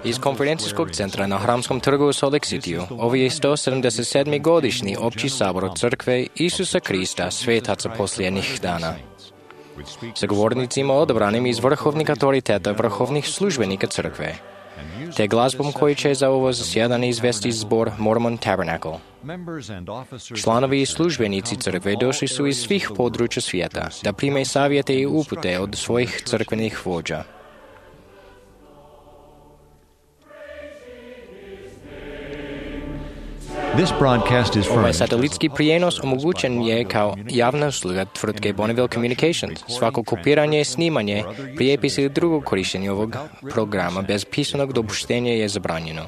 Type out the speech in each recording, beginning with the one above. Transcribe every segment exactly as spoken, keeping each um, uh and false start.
Iz konferencijskog centra na Hramskom trgu u Salt Lake Cityu ovo je sto sedamdeset sedmi godišnji opći sabor Crkve Isusa Krista svetaca posljednjih dana. Sa govornicima odabranim iz vrhovnih autoriteta vrhovnih službenika Crkve, te glazbom koji će za ovo zasjedanje izvesti zbor Mormon Tabernacle. Članovi i službenici Crkve došli su iz svih područja svijeta da prime savjete i upute od svojih crkvenih vođa. Ovaj satelitski prijenos omogućen je kao javna usluga tvrtke Bonneville Communications. Svako kopiranje, snimanje, prijepis ili drugo korištenje ovog programa bez pisanog dopuštenja je zabranjeno.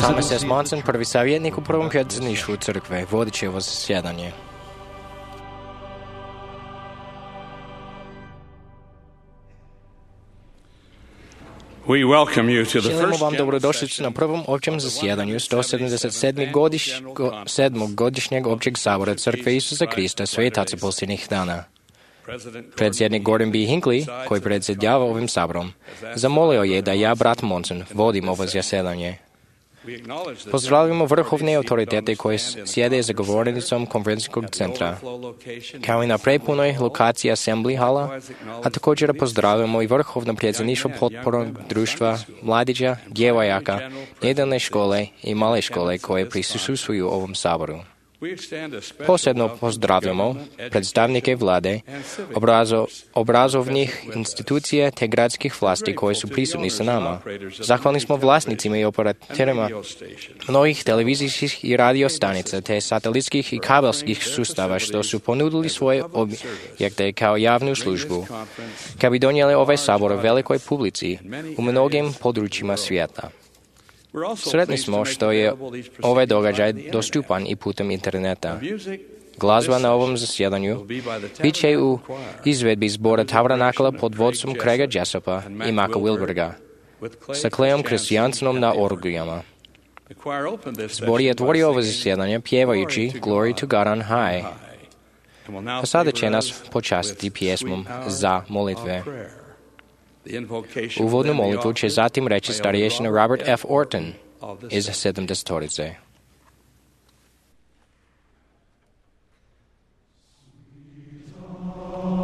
Thomas S. Monson, prvi savjetnik u prvom predsjedništvu Crkve, vodit će ovo zasjedanje. Želimo vam dobrodošlicu na prvom općem zasjedanju sto sedamdeset sedmog godiš, go, godišnjeg općeg sabora Crkve Isusa Krista svetaca posljednjih dana. Predsjednik Gordon B. Hinckley, koji predsjedava ovim saborom, zamolio je da ja, brat Monson, vodim ovo zasjedanje. Pozdravljamo vrhovne autoritete koji sjede za govornicom konferencijskog centra, kao i na prepunoj lokaciji Assembly Hala, a također pozdravljamo i vrhovno predsjedništvo potpornog društva mladića, djevojaka, nedeljne škole i male škole koje prisustvuju ovom saboru. Posebno pozdravljamo predstavnike vlade, obrazo, obrazovnih institucija te gradskih vlasti koji su prisutni sa nama. Zahvalni smo vlasnicima i operatorima mnogih televizijskih i radio stanica te satelitskih i kabelskih sustava što su ponudili svoje objekte kao javnu službu, kako bi donijeli ovaj sabor velikoj publici u mnogim područjima svijeta. Sretni smo što je ovaj događaj dostupan i putem interneta. Glazba na ovom zasjedanju bit će u izvedbi zbora Tabernakla pod vodstvom Craiga Jessopa i Maka Wilberga, sa Cleom Christiansenom na orgijama. Zbor je otvorio ovo zasjedanje pjevajući Glory to God on High. A sada će nas počastiti pjesmom Za molitve. Uvodnu molitvu će zatim reći starješina Robert F. Orton iz sedamdesetorice. Father,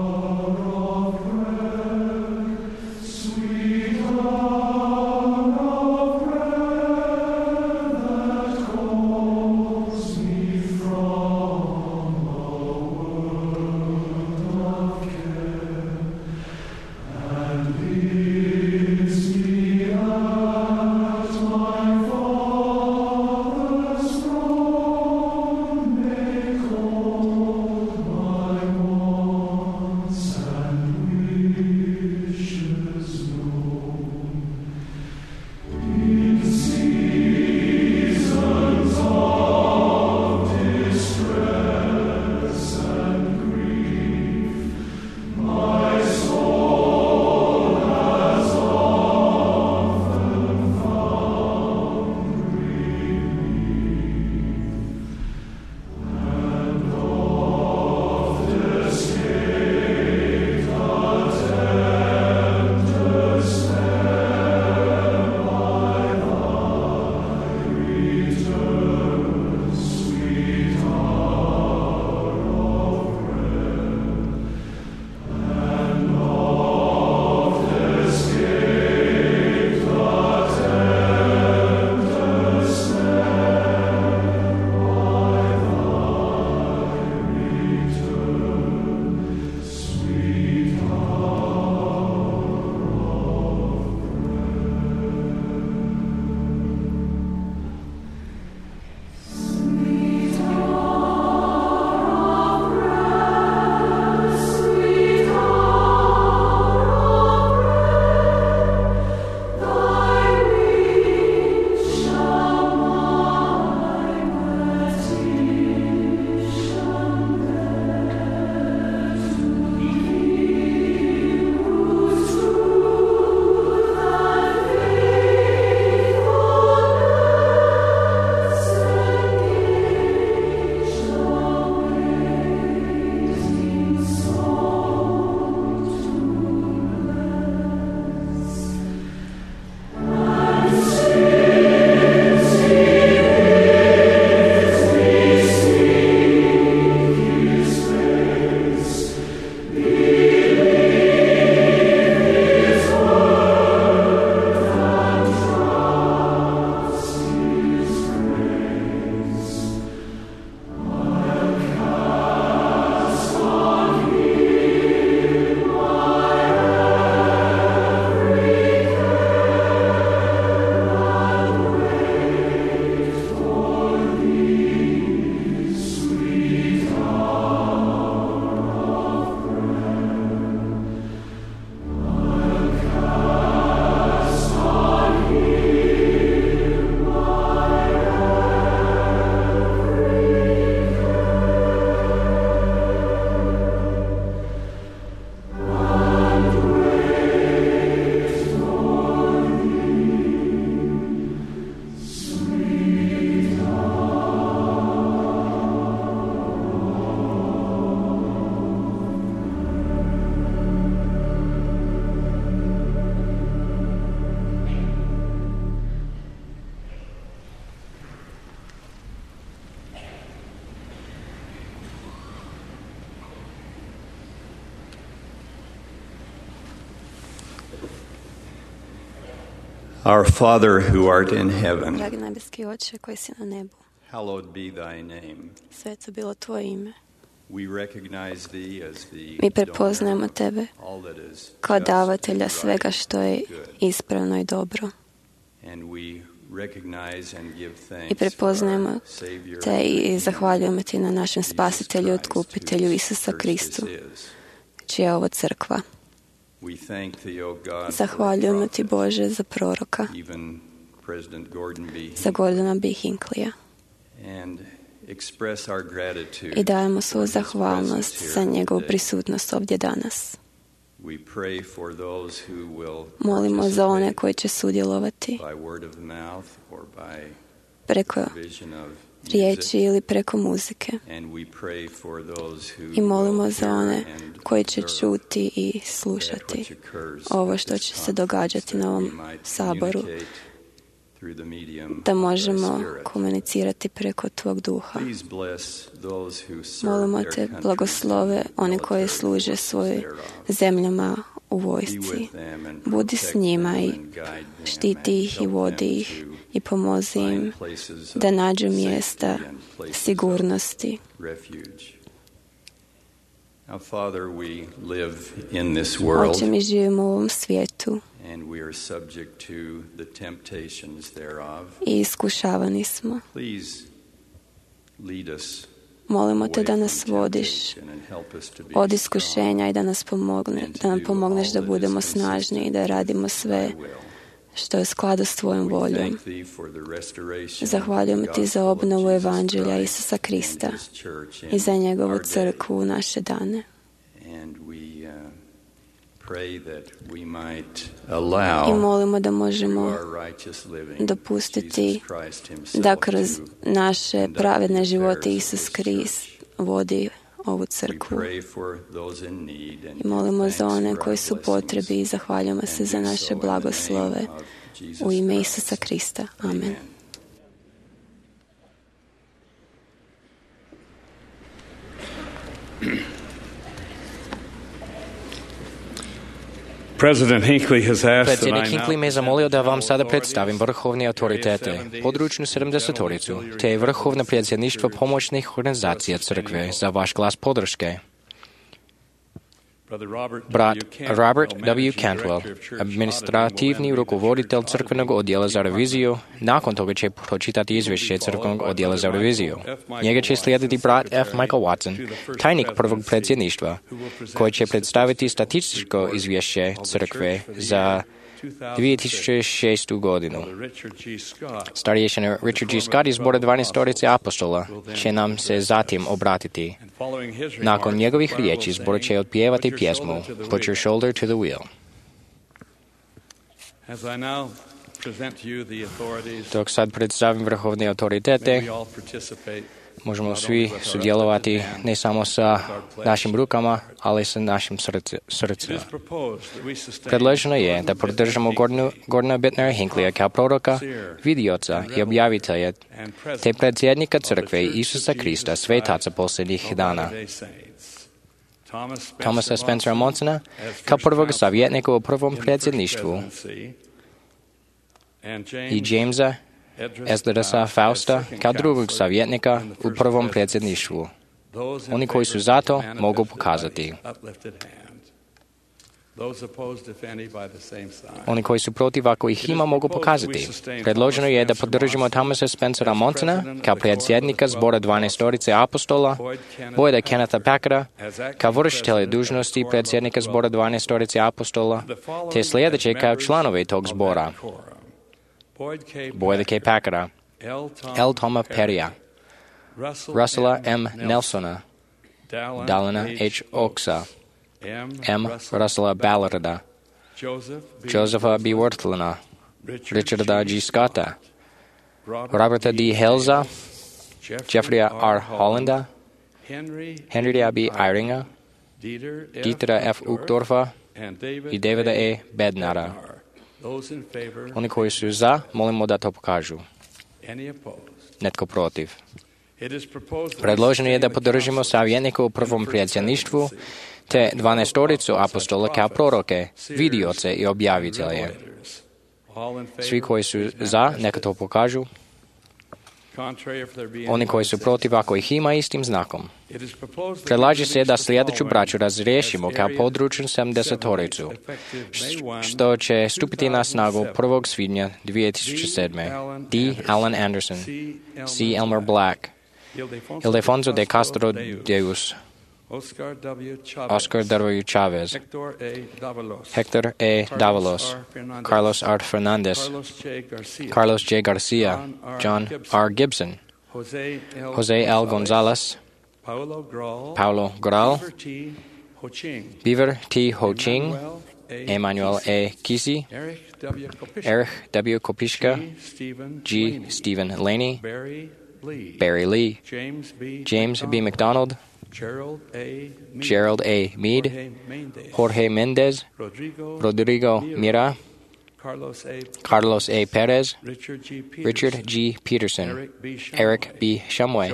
Our Father who art in heaven, Dragi nebeski Oče koji si na nebu, hallowed be thy name. sveto bilo tvoje ime. We recognize thee as the Mi prepoznajemo tebe all that is kao just davatelja and svega right što je and good. ispravno i dobro. And we recognize and give thanks I prepoznajemo for our Savior te i zahvaljujemo ti na našem spasitelju i otkupitelju Isusa Kristu, čija je ovo crkva. We thank thee, O God, Zahvaljujemo for ti, Bože, za proroka, even President Gordon B. za Gordona B. Hinklija. and express our gratitude I dajemo svoju for his zahvalnost presence za here njegovu today. prisutnost ovdje danas. We pray for those who will Molimo za one participate koji će sudjelovati by word of mouth or by preko vision of riječi music. ili preko muzike. And we pray for those who I molimo will za hear one and koji će observe čuti i that slušati which occurs ovo at što this će se conference, događati that na we ovom might saboru, communicate through the medium da of thy možemo Spirit. komunicirati preko tvog duha. Please bless those who serve Molimo their te, countries blagoslove and one koji military služe forces svojim thereof. zemljama u Be vojsci. with them and Budi s protect njima them i and guide them štiti ih i and help vodi them ih to i pomozi im find places da of nađu safety mjesta and places of sigurnosti. refuge. Now, Father, we live in this world Oče, mi živimo u ovom svijetu and we are subject to the temptations thereof. i iskušavani smo. Please lead us Molimo te away da from nas vodiš temptation and help us to be od strong iskušenja i da nas pomogne, da nam pomogneš da budemo snažni i da radimo sve in thy will. što je u skladu s tvojom We voljom. thank thee for the restoration Zahvaljujemo of the ti za gospel of obnovu Jesus evanđelja Christ Isusa Krista and his church in i za njegovu our day. crkvu u naše dane. And we uh, pray that we might I allow molimo da through možemo our righteous living dopustiti Jesus Christ himself da kroz to naše conduct pravedne the živote affairs of Isus this Krist church. vodi ovu We crkvu. pray for those in need and I molimo give za thanks one for koji our su blessings potrebi i zahvaljujemo se and za do naše so in the blagoslove name of Jesus u ime Christ. Isusa Krista. Amen. Amen. President Hinckley has asked that Predsjednik I Hinckley now me zamolio da vam sada predstavim vrhovne autoritete, područnu sedamdesetoricu, te vrhovno predsjedništvo pomoćnih organizacija crkve za vaš glas podrške. Brat Robert W. Cantwell, administrativni rukovoditelj crkvenog odjela za reviziju, nakon toga će pročitati izvješće crkvenog odjela za reviziju. Njega će slijediti brat F. Michael Watson, tajnik prvog predsjedništva, koji će predstaviti statističko izvješće crkve za dvije tisuće šestu godinu. Starješina Richard G. Scott iz zbora dvanaestorice apostola će nam se zatim obratiti. Nakon njegovih riječi zbor će otpjevati pjesmu Put your shoulder to the wheel. Dok sad predstavim vrhovne autoritete, možemo svi sudjelovati ne samo sa našim rukama, ali sa našim srcima. Predloženo je da podržamo Gordona Bittnera Hinckleya kao proroka, vidioca i objavitelja, te predsjednika crkve Isusa Krista, svetaca posljednjih dana. Thomasa Spencera Monsona kao prvog savjetnika u prvom predsjedništvu i Jamesa Esdrasa Fausta kao drugog savjetnika u prvom predsjedništvu. Oni koji su za to mogu pokazati. Oni koji su protiv, ako ih ima, mogu pokazati. Predloženo je da podržimo Thomasa Spencera Monsona kao predsjednika zbora dvanaestorice apostola, Boyda Kennetha Packera kao vršitelja dužnosti predsjednika zbora dvanaestorice apostola, te sljedeće kao članove tog zbora: Boyda K. Packera, L. Toma Perrya, Russella M. Nelsona, Dallina H. Oaksa, M. Russella Ballarda, Josepha B. Wortlina, Richarda G. Scotta, Roberta D. Helza, Jeffreya R. Hollanda, Henrya B. Eyringa, Dietera F. Uchtdorfa i Davida E. Bednara. Oni koji su za, molimo da to pokažu. Netko protiv. Predloženo je da podržimo savjetnika u prvom predsjedništvu, te dvanaestoricu apostola kao proroke, vidioce i objavitelje. Svi koji su za, neka to pokažu. Oni koji su protiv, ako ih ima, istim znakom. Predlaže se da sljedeću braću razriješimo kao područnu sedamdesetoricu, što će stupiti na snagu prvog svibnja dvije tisuće sedme. D. Alan Anderson, C. Elmer Black, Ildefonso de Castro Deus, Oscar W. Chavez, Hector A. Davalos, Carlos R. Fernandez, Carlos J. Garcia, John R. Gibson, Jose L. Gonzalez, Paulo Gral, Beaver T. Ho Ching, Emmanuel A. Kisi, Erich W. Kopishka, G. Stephen Laney, Barry Lee, James B. McDonald, Gerald A. Meade, Jorge Mendez, Rodrigo Mira, Carlos A. Perez, Richard G. Peterson, Eric B. Shumway,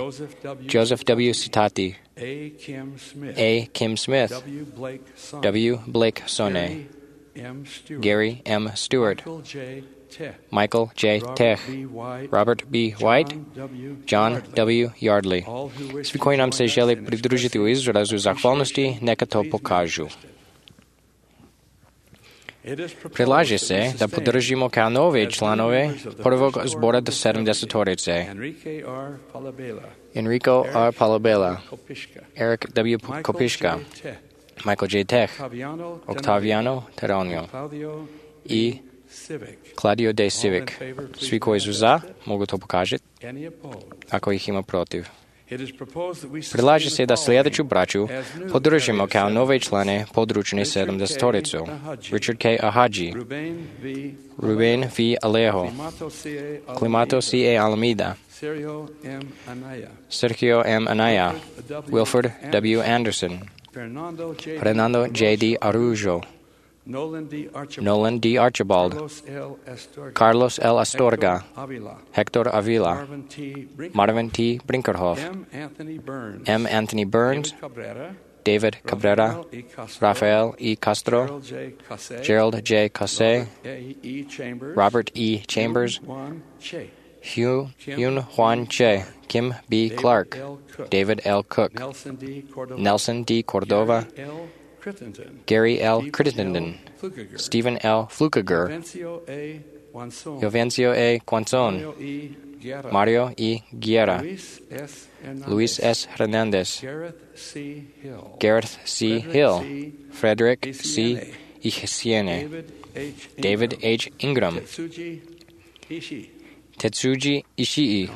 Joseph W. Citati, A. Kim Smith, W. Blake Sonne, Gary M. Stewart, Michael J. Tech, Robert B. White, John W. Yardley. Svi koji nam se žele pridružiti u izrazu zahvalnosti, neka to pokažu. Predlaže se da podržimo kao nove članove prvog zbora sedamdesetorice Enrico R. Palabella, Eric W. Kopishka, Michael J. Tech, Octaviano Terranio i Claudio De Civic. Svi koji su za, mogu to pokažiti, ako ih ima protiv. Predlaže se da sljedeću braću podržimo kao nove člane područne sedamdesetoricu. Richard K. Ahaji, Ruben V. Alejo, Climato C. A. Alameda, Sergio M. Anaya, Wilford W. Anderson, Fernando J. D. Arujo, Nolan D. Archibald, Carlos L. Astorga, Hector Avila, Marvin T. Brinkerhoff, M. Anthony Burns, David Cabrera, Rafael E. Castro, Gerald J. Casse, Robert E. Chambers, Hyun Juan Che, Kim B. Clark, David L. Cook, Nelson D. Cordova, Gary L. Crittenden, Stephen L. Flukiger, Jovencio A. Quanzon, Mario E. Guerra, Luis S. Hernandez, Gareth C. Hill, Frederick C. Ihesiene, David H. Ingram, Tetsuji Ishii,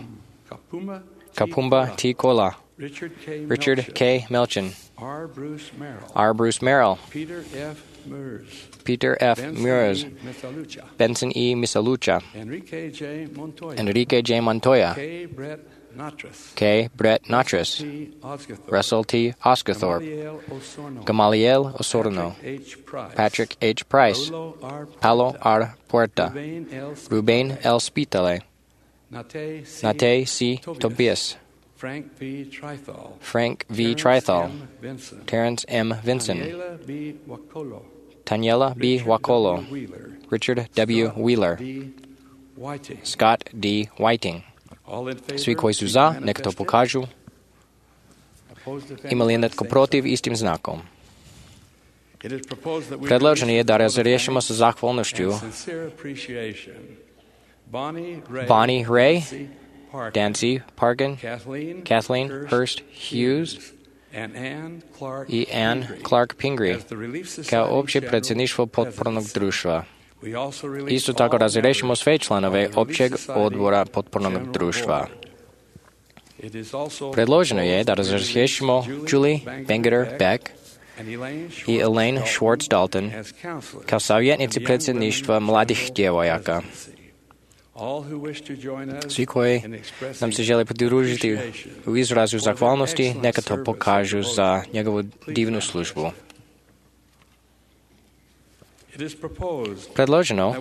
Kapumba T. Kola, Richard K. Melchin, R. Bruce Merrill, Peter F. Mures, Benson E. Misalucha, Enrique J. Montoya, K. Brett Natras, Russell T. Osgathorpe, Gamaliel Osorno, Patrick H. Price, Paulo R. Puerta, Ruben L. Spitale, Nate C. Tobias, Frank V. Trithal, Frank V. Trithal, Terrence M. Vinson, Taniela B. Wakolo, Richard W. Wheeler, Scott D. Whiting. Svi koji su za, neka to pokažu. Ima li netko protiv istim znakom? Predloženo je da razriješimo sa zahvalnošću Bonnie Ray, Dancy Pargan, Kathleen Hurst Hughes i Ann Clark Pingree kao opće predsjedništvo potpornog društva. Isto tako razriješimo sve članove općeg odbora potpornog društva. Predloženo je da razriješimo Julie Bengeter Beck i Elaine Schwartz Dalton kao savjetnici predsjedništva mladih djevojaka. Svi koji nam se žele pridružiti u izrazu zahvalnosti, neka to pokažu za njegovu divnu službu. Predloženo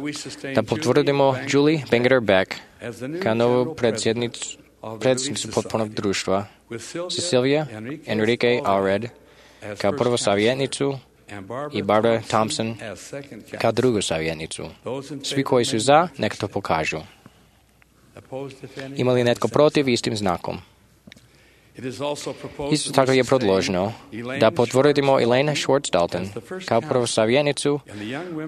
da potvrdimo Julie Bengeter Beck kao novu predsjednicu, predsjednicu potpornog društva, Cecilia Enrique Allred kao prvu savjetnicu i Barbara Thompson kao drugu savjetnicu. Svi koji su za, neka to pokažu. Ima li netko protiv istim znakom? Isto tako je predloženo da potvrdimo Elaine Schwartz Dalton kao prvu savjetnicu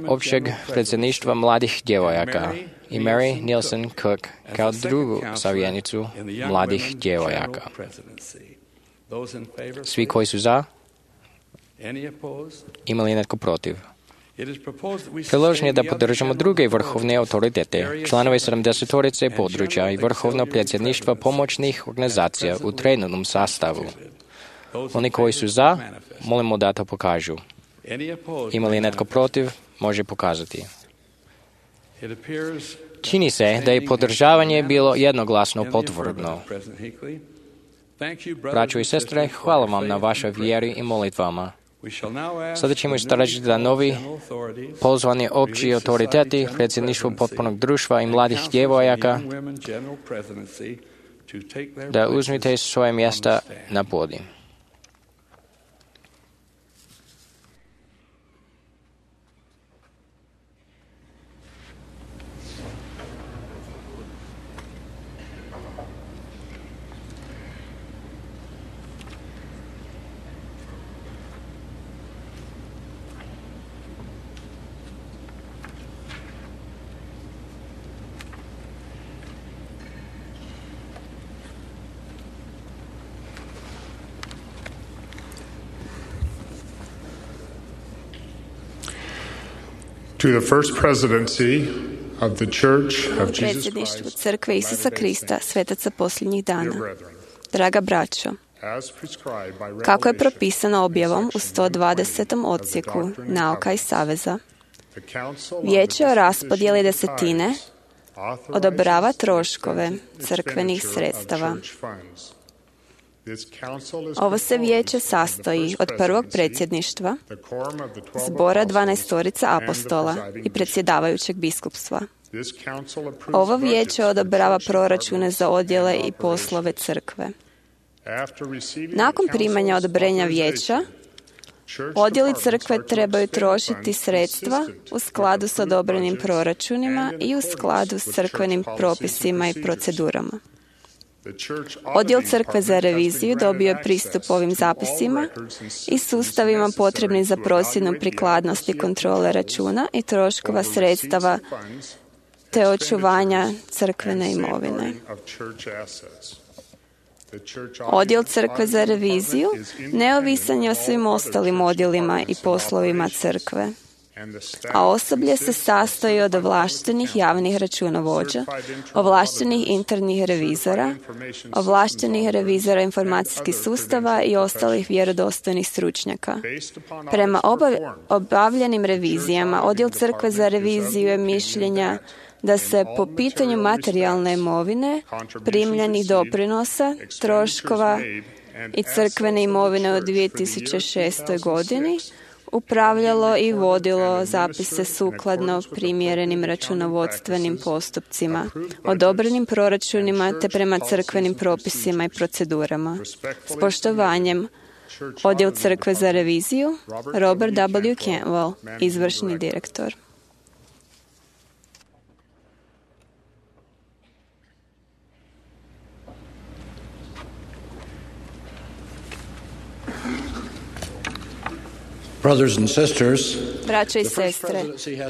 općeg predsjedništva mladih djevojaka i Mary Nielsen Cook kao drugu savjetnicu mladih djevojaka. Svi koji su za, ima li netko protiv? Predloženo je da podržamo druge vrhovne autoritete, članove sedamdesetorice područja i vrhovno predsjedništva pomoćnih organizacija u trenutnom sastavu. Oni koji su za, molimo da to pokažu. Ima li netko protiv, može pokazati. Čini se da je podržavanje bilo jednoglasno potvrdno. Braćo i sestre, hvala vam na vašoj vjeri i molitvama. Sada ćemo istražiti da novi pozvani opći autoriteti, predsjedništvo potpunog društva i mladih djevojaka, da uzmite svoje mjesta na podiju. To the first presidency of the Church of Jesus Predsjedništvu Christ, Crkve Isusa Krista, svetaca posljednjih dana. Draga braćo, kako je propisano objavom u sto dvadesetom odsjeku Nauka i saveza, Vijeće o raspodjeli desetine odobrava troškove crkvenih sredstava. Ovo se vijeće sastoji od prvog predsjedništva, zbora dvanaestorica apostola i predsjedavajućeg biskupstva. Ovo vijeće odobrava proračune za odjele i poslove crkve. Nakon primanja odobrenja vijeća, odjeli crkve trebaju trošiti sredstva u skladu s odobrenim proračunima i u skladu s crkvenim propisima i procedurama. Odjel crkve za reviziju dobio je pristup ovim zapisima i sustavima potrebnim za procjenu prikladnosti kontrole računa i troškova sredstava te očuvanja crkvene imovine. Odjel crkve za reviziju neovisan je o svim ostalim odjelima i poslovima crkve, a osoblje se sastoji od ovlaštenih javnih računovođa, ovlaštenih internih revizora, ovlaštenih revizora informacijskih sustava i ostalih vjerodostojnih stručnjaka. Prema obavljenim revizijama, odjel crkve za reviziju je mišljenja da se po pitanju materijalne imovine, primljenih doprinosa, troškova i crkvene imovine u dvije tisuće šestoj godini upravljalo i vodilo zapise sukladno primjerenim računovodstvenim postupcima, odobrenim proračunima te prema crkvenim propisima i procedurama. S poštovanjem, Odjel crkve za reviziju, Robert W. Cantwell, izvršni direktor. Braćo i sestre,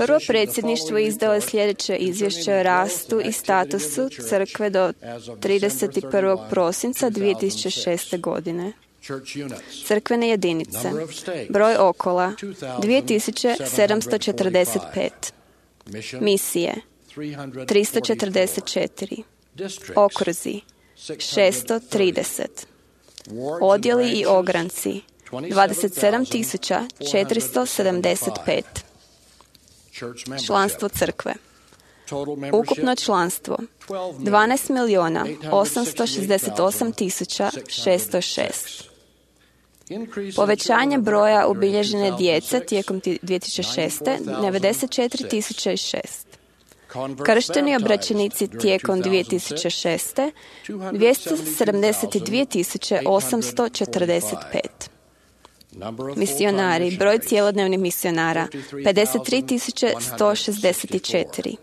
prvo predsjedništvo izdalo je sljedeće izvješće o rastu i statusu crkve do trideset prvog prosinca dvije tisuće šeste. godine. Crkvene jedinice. Broj okola dvije tisuće sedamsto četrdeset pet. Misije tristo četrdeset četiri. Okruzi šesto trideset. Odjeli i ogranci dvadeset sedam tisuća četiristo sedamdeset pet. Članstvo crkve. Ukupno članstvo dvanaest milijuna osamsto šezdeset osam tisuća šesto šest. Povećanje broja ubilježene djece tijekom dvije tisuće šeste. devedeset četiri tisuće šest. Kršteni obraćenici tijekom dvije tisuće šeste. dvjesto sedamdeset dvije tisuće osamsto četrdeset pet. Misionari, broj cjelodnevnih misionara, pedeset tri tisuće sto šezdeset četiri.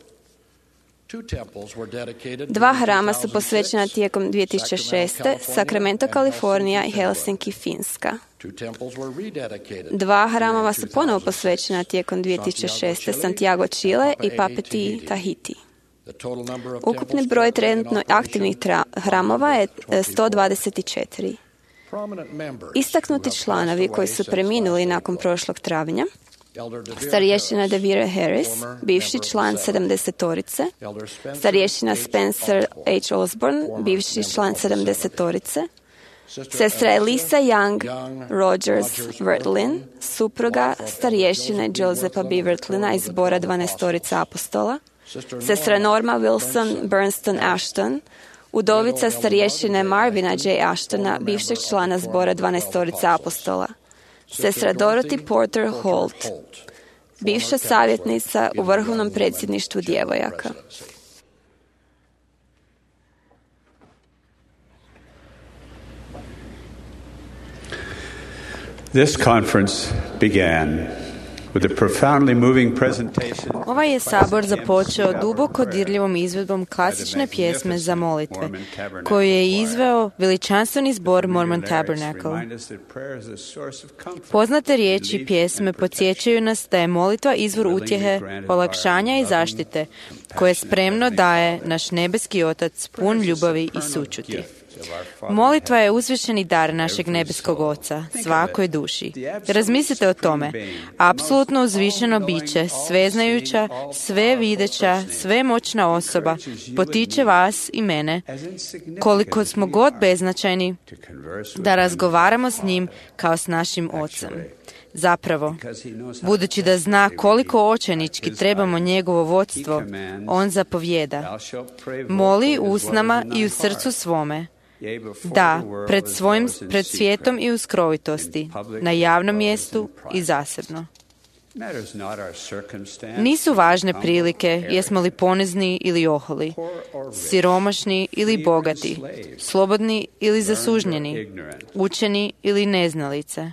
Dva hrama su posvećena tijekom dvije tisuće šeste. Sacramento, Kalifornija i Helsinki, Finska. Dva hramova su ponovo posvećena tijekom dvije tisuće šeste. Santiago, Čile i Papeti, Tahiti. Ukupni broj trenutno aktivnih tra- hramova je sto dvadeset četiri. Istaknuti članovi koji su preminuli nakon prošlog travnja: starješina Devere Harris, bivši član sedamdesetorice, starješina Spencer H. Osborne, bivši član sedamdesetorice, sestra Elisa Young Rogers Vertlin, supruga starješine Josepa B. Vertlina iz zbora dvanaestorice apostola, sestra Norma Wilson Bernston Ashton, udovica starješine Marvina J. Ashtona, bivšeg člana zbora dvanaestorice apostola, sestra Dorothy Porter Holt, bivša savjetnica u Vrhovnom predsjedništvu djevojaka. This conference began with a profoundly moving presentation. Ovaj je sabor započeo duboko dirljivom izvedbom klasične pjesme za molitve, koju je izveo veličanstveni zbor Mormon Tabernacle. Poznate riječi pjesme podsjećaju nas da je molitva izvor utjehe, olakšanja i zaštite, koje spremno daje naš nebeski Otac pun ljubavi i sućuti. Molitva je uzvišeni dar našeg nebeskog Oca, svakoj duši. Razmislite o tome. Apsolutno uzvišeno biće, sveznajuća, sve videća, svemoćna osoba, potiče vas i mene, koliko smo god beznačajni, da razgovaramo s njim kao s našim Ocem. Zapravo, budući da zna koliko očajnički trebamo njegovo vodstvo, on zapovjeda: moli usnama i u srcu svome, da, pred svojim, pred svijetom i u skrovitosti, na javnom mjestu i zasebno. Nisu važne prilike, jesmo li ponizni ili oholi, siromašni ili bogati, slobodni ili zasužnjeni, učeni ili neznalice,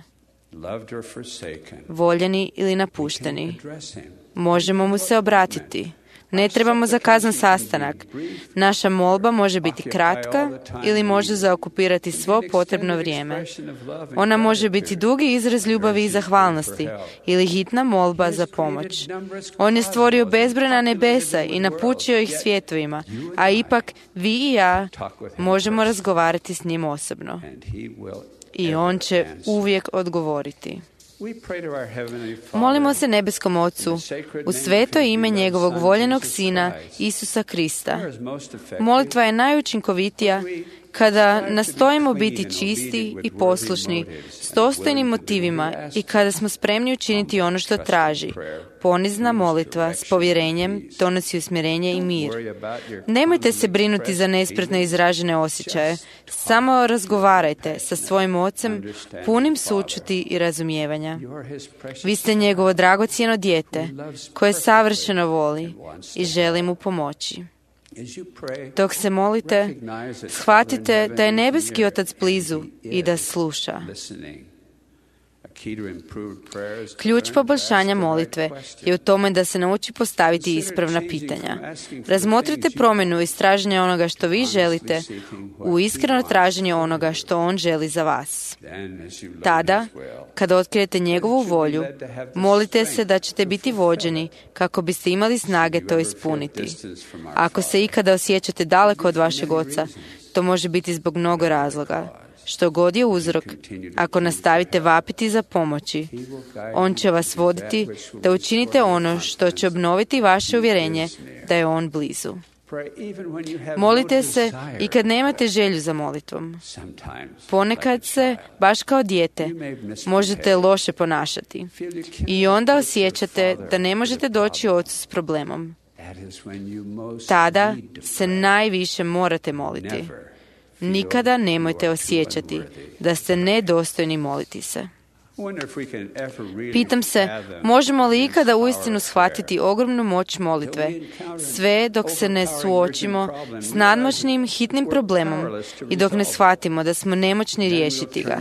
voljeni ili napušteni. Možemo mu se obratiti. Ne trebamo zakazan sastanak. Naša molba može biti kratka ili može zaokupirati svo potrebno vrijeme. Ona može biti dugi izraz ljubavi i zahvalnosti ili hitna molba za pomoć. On je stvorio bezbrojna nebesa i napučio ih svjetovima, a ipak vi i ja možemo razgovarati s njim osobno. I on će uvijek odgovoriti. Molimo se nebeskom Ocu u sveto ime njegovog voljenog Sina Isusa Krista. Molitva je najučinkovitija kada nastojimo biti čisti i poslušni, s dostojnim motivima i kada smo spremni učiniti ono što traži. Ponizna molitva s povjerenjem donosi usmjerenje i mir. Nemojte se brinuti za nespretno izražene osjećaje. Samo razgovarajte sa svojim Ocem punim sućuti i razumijevanja. Vi ste njegovo dragocjeno dijete koje savršeno voli i želi mu pomoći. Dok se molite, shvatite da je nebeski Otac blizu i da sluša. Ključ poboljšanja molitve je u tome da se nauči postaviti ispravna pitanja. Razmotrite promjenu iz traženja onoga što vi želite u iskreno traženje onoga što on želi za vas. Tada, kada otkrijete njegovu volju, molite se da ćete biti vođeni kako biste imali snage to ispuniti. Ako se ikada osjećate daleko od vašeg Oca, to može biti zbog mnogo razloga. Što god je uzrok, ako nastavite vapiti za pomoći, on će vas voditi da učinite ono što će obnoviti vaše uvjerenje da je on blizu. Molite se i kad nemate želju za molitvom. Ponekad se, baš kao dijete, možete loše ponašati i onda osjećate da ne možete doći Ocu s problemom. Tada se najviše morate moliti. Nikada nemojte osjećati da ste nedostojni moliti se. Pitam se, možemo li ikada uistinu shvatiti ogromnu moć molitve, sve dok se ne suočimo s nadmoćnim, hitnim problemom i dok ne shvatimo da smo nemoćni riješiti ga.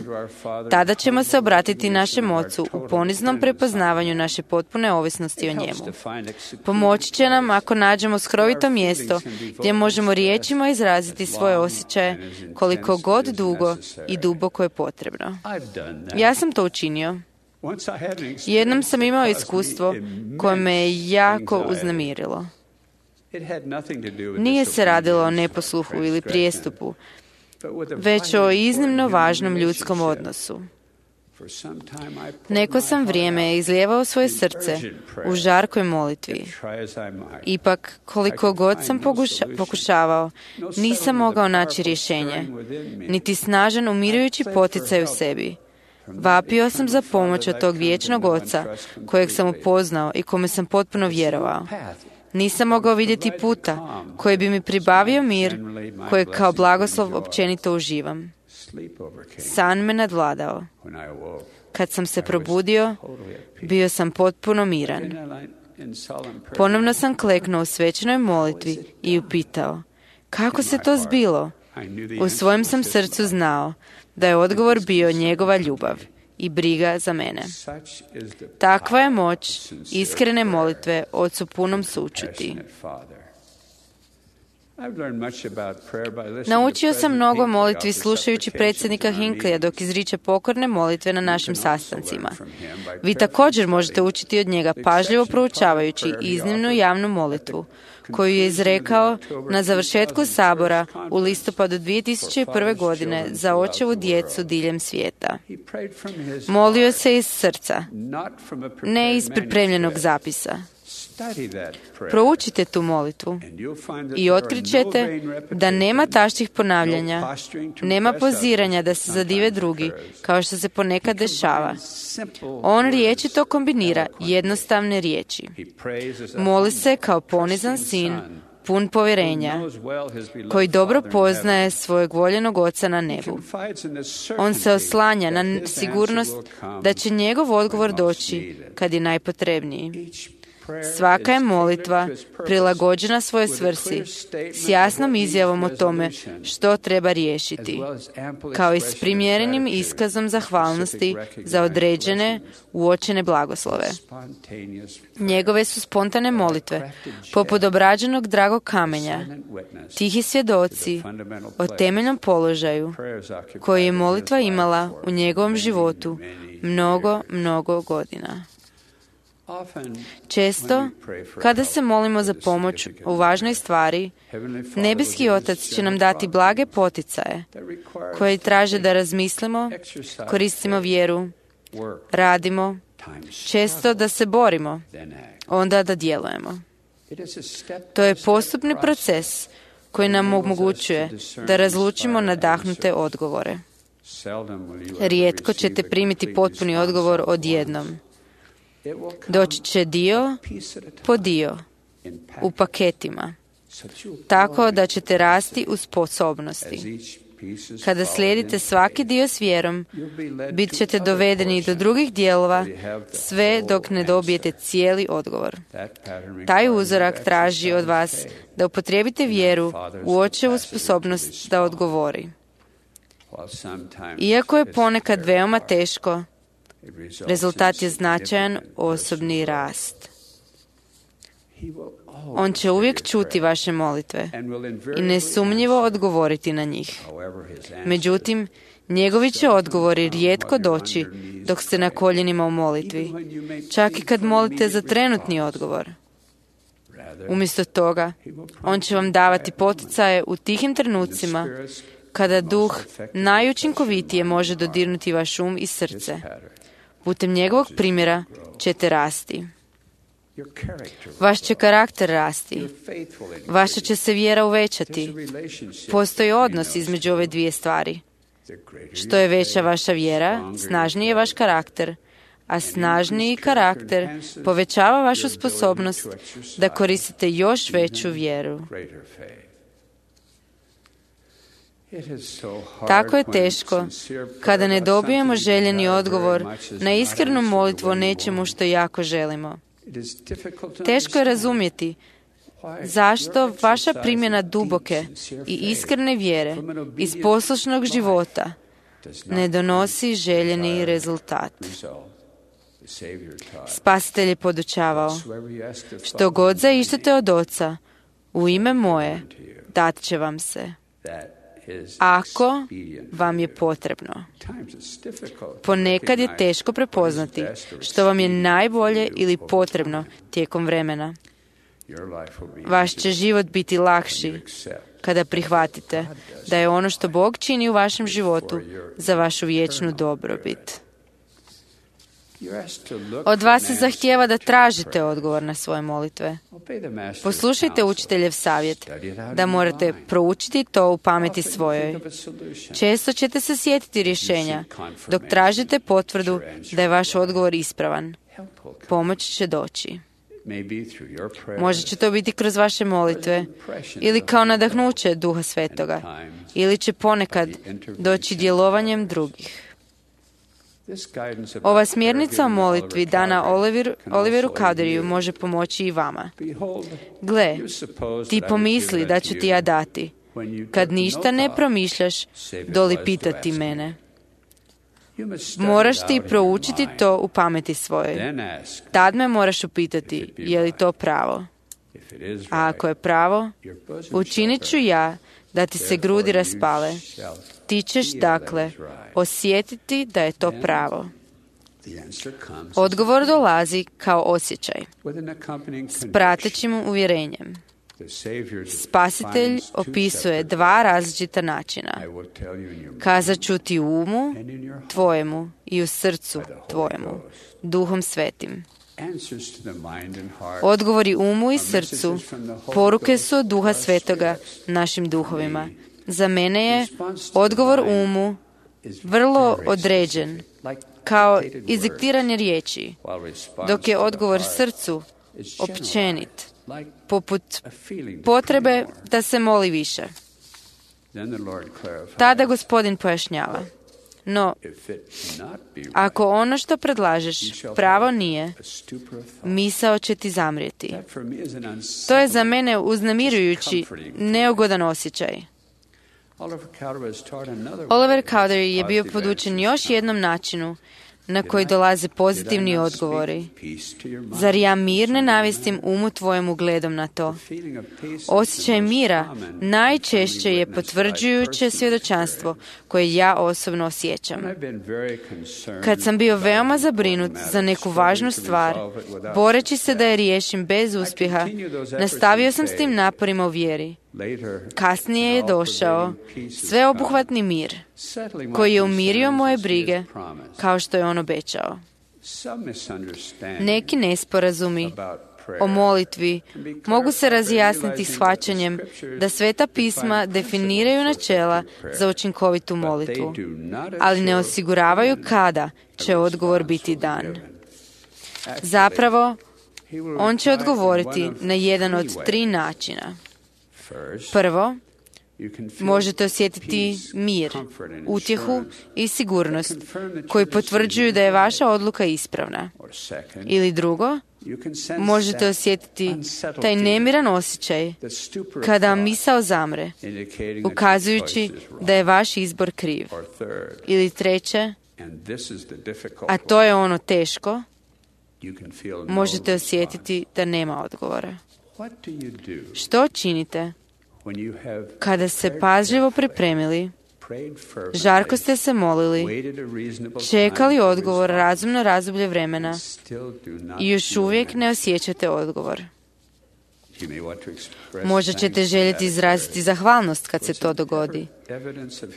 Tada ćemo se obratiti našem Ocu u poniznom prepoznavanju naše potpune ovisnosti o njemu. Pomoći će nam ako nađemo skrovito mjesto gdje možemo riječima izraziti svoje osjećaje koliko god dugo i duboko je potrebno. Ja sam to učinio. Jednom sam imao iskustvo koje me je jako uznemirilo. Nije se radilo o neposluhu ili prijestupu, već o iznimno važnom ljudskom odnosu. Neko sam vrijeme izlijevao svoje srce u žarkoj molitvi. Ipak, koliko god sam pokuša, pokušavao, nisam mogao naći rješenje, niti snažan umirujući poticaj u sebi. Vapio sam za pomoć od tog vječnog Oca, kojeg sam upoznao i kome sam potpuno vjerovao. Nisam mogao vidjeti puta koji bi mi pribavio mir, kojeg kao blagoslov općenito uživam. San me nadvladao. Kad sam se probudio, bio sam potpuno miran. Ponovno sam kleknuo u svečanoj molitvi i upitao, kako se to zbilo? U svojem sam srcu znao da je odgovor bio njegova ljubav i briga za mene. Takva je moć iskrene molitve Ocu punom sućuti. Naučio sam mnogo molitvi slušajući predsjednika Hinckleyja dok izriče pokorne molitve na našim sastancima. Vi također možete učiti od njega pažljivo proučavajući iznimnu javnu molitvu koju je izrekao na završetku sabora u listopadu dvije tisuće prve. godine za očevu djecu diljem svijeta. Molio se iz srca, ne iz pripremljenog zapisa. Proučite tu molitvu i otkrićete da nema taštih ponavljanja, nema poziranja da se zadive drugi, kao što se ponekad dešava. On riječito kombinira jednostavne riječi. Moli se kao ponizan sin, pun povjerenja, koji dobro poznaje svojeg voljenog Oca na nebu. On se oslanja na sigurnost da će njegov odgovor doći kad je najpotrebniji. Svaka je molitva prilagođena svojoj svrsi s jasnom izjavom o tome što treba riješiti, kao i s primjerenim iskazom zahvalnosti za određene uočene blagoslove. Njegove su spontane molitve, poput obrađenog dragog kamenja, tihi svjedoci o temeljnom položaju koji je molitva imala u njegovom životu mnogo, mnogo godina. Često, kada se molimo za pomoć u važnoj stvari, nebeski Otac će nam dati blage poticaje koje traže da razmislimo, koristimo vjeru, radimo, često da se borimo, onda da djelujemo. To je postupni proces koji nam omogućuje da razlučimo nadahnute odgovore. Rijetko ćete primiti potpuni odgovor odjednom. Doći će dio po dio, u paketima, tako da ćete rasti u sposobnosti. Kada slijedite svaki dio s vjerom, bit ćete dovedeni do drugih dijelova, sve dok ne dobijete cijeli odgovor. Taj uzorak traži od vas da upotrijebite vjeru u Očevu sposobnost da odgovori. Iako je ponekad veoma teško, rezultat je značajan osobni rast. On će uvijek čuti vaše molitve i nesumnjivo odgovoriti na njih. Međutim, njegovi će odgovori rijetko doći dok ste na koljenima u molitvi, čak i kad molite za trenutni odgovor. Umjesto toga, on će vam davati poticaje u tihim trenucima kada duh najučinkovitije može dodirnuti vaš um i srce. Putem njegovog primjera ćete rasti. Vaš će karakter rasti. Vaša će se vjera uvećati. Postoji odnos između ove dvije stvari. Što je veća vaša vjera, snažniji je vaš karakter, a snažniji karakter povećava vašu sposobnost da koristite još veću vjeru. Tako je teško kada ne dobijemo željeni odgovor na iskrenu molitvu o nečemu što jako želimo. Teško je razumjeti zašto vaša primjena duboke i iskrene vjere iz poslušnog života ne donosi željeni rezultat. Spasitelj je podučavao: što god zaištete od Oca u ime moje, dat će vam se, ako vam je potrebno. Ponekad je teško prepoznati što vam je najbolje ili potrebno tijekom vremena. Vaš će život biti lakši kada prihvatite da je ono što Bog čini u vašem životu za vašu vječnu dobrobit. Od vas se zahtijeva da tražite odgovor na svoje molitve. Poslušajte učiteljev savjet da morate proučiti to u pameti svojoj. Često ćete se sjetiti rješenja dok tražite potvrdu da je vaš odgovor ispravan. Pomoć će doći. Možda će to biti kroz vaše molitve ili kao nadahnuće Duha Svetoga, ili će ponekad doći djelovanjem drugih. Ova smjernica o molitvi dana Oliver, Oliveru Cowderiju može pomoći i vama. Gle, ti pomisli da ću ti ja dati, kad ništa ne promišljaš, doli pitati mene. Moraš ti proučiti to u pameti svojoj. Tad me moraš upitati, je li to pravo? A ako je pravo, učinit ću ja da ti se grudi raspale. Ti ćeš, dakle, osjetiti da je to pravo. Odgovor dolazi kao osjećaj, s pratećim uvjerenjem. Spasitelj opisuje dva različita načina. Kazat ću ti u umu tvojemu i u srcu tvojemu, Duhom Svetim. Odgovori umu i srcu poruke su od Duha Svetoga našim duhovima. Za mene je odgovor umu vrlo određen, kao iziktiranje riječi, dok je odgovor srcu općenit, poput potrebe da se moli više. Tada Gospodin pojašnjava: no, ako ono što predlažeš pravo nije, misao će ti zamrijeti. To je za mene uznemirujući, neugodan osjećaj. Oliver Cowdery je bio podučen još jednom načinu na koji dolaze pozitivni odgovori. Zar ja mir ne navistim umu tvojemu gledom na to? Osjećaj mira najčešće je potvrđujuće svjedočanstvo koje ja osobno osjećam. Kad sam bio veoma zabrinut za neku važnu stvar, boreći se da je riješim bez uspjeha, nastavio sam s tim naporima u vjeri. Kasnije je došao sveobuhvatni mir, koji je umirio moje brige, kao što je on obećao. Neki nesporazumi o molitvi mogu se razjasniti shvaćanjem da Sveta pisma definiraju načela za učinkovitu molitvu, ali ne osiguravaju kada će odgovor biti dan. Zapravo, on će odgovoriti na jedan od tri načina. Prvo, možete osjetiti mir, utjehu i sigurnost koji potvrđuju da je vaša odluka ispravna. Ili drugo, možete osjetiti taj nemiran osjećaj kada vam misao zamre, ukazujući da je vaš izbor kriv. Ili treće, a to je ono teško, možete osjetiti da nema odgovora. Što činite kada se pažljivo pripremili, žarko ste se molili, čekali odgovor razumno razdoblje vremena i još uvijek ne osjećate odgovor? Možda ćete željeti izraziti zahvalnost kad se to dogodi,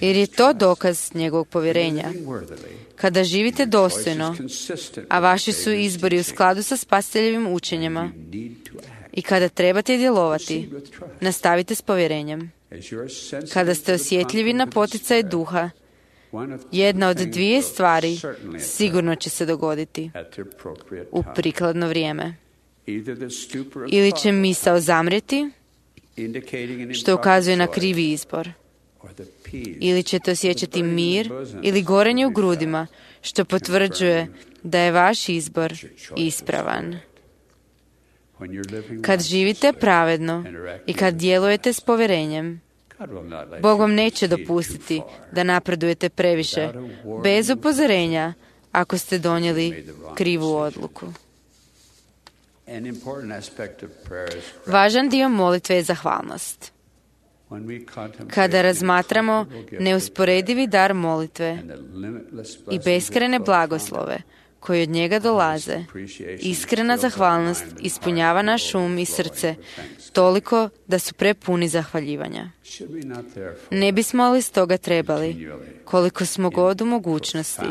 jer je to dokaz njegovog povjerenja. Kada živite dostojno, a vaši su izbori u skladu sa spasiteljevim učenjima, i kada trebate djelovati, nastavite s povjerenjem. Kada ste osjetljivi na poticaj duha, jedna od dvije stvari sigurno će se dogoditi u prikladno vrijeme. Ili će misao zamrijeti, što ukazuje na krivi izbor, ili ćete osjećati mir ili gorenje u grudima, što potvrđuje da je vaš izbor ispravan. Kad živite pravedno i kad djelujete s povjerenjem, Bog vam neće dopustiti da napredujete previše, bez upozorenja, ako ste donijeli krivu odluku. Važan dio molitve je zahvalnost. Kada razmatramo neusporedivi dar molitve i beskrajne blagoslove koji od njega dolaze, iskrena zahvalnost ispunjava naš um i srce toliko da su prepuni zahvaljivanja. Ne bismo li stoga trebali, koliko smo god u mogućnosti,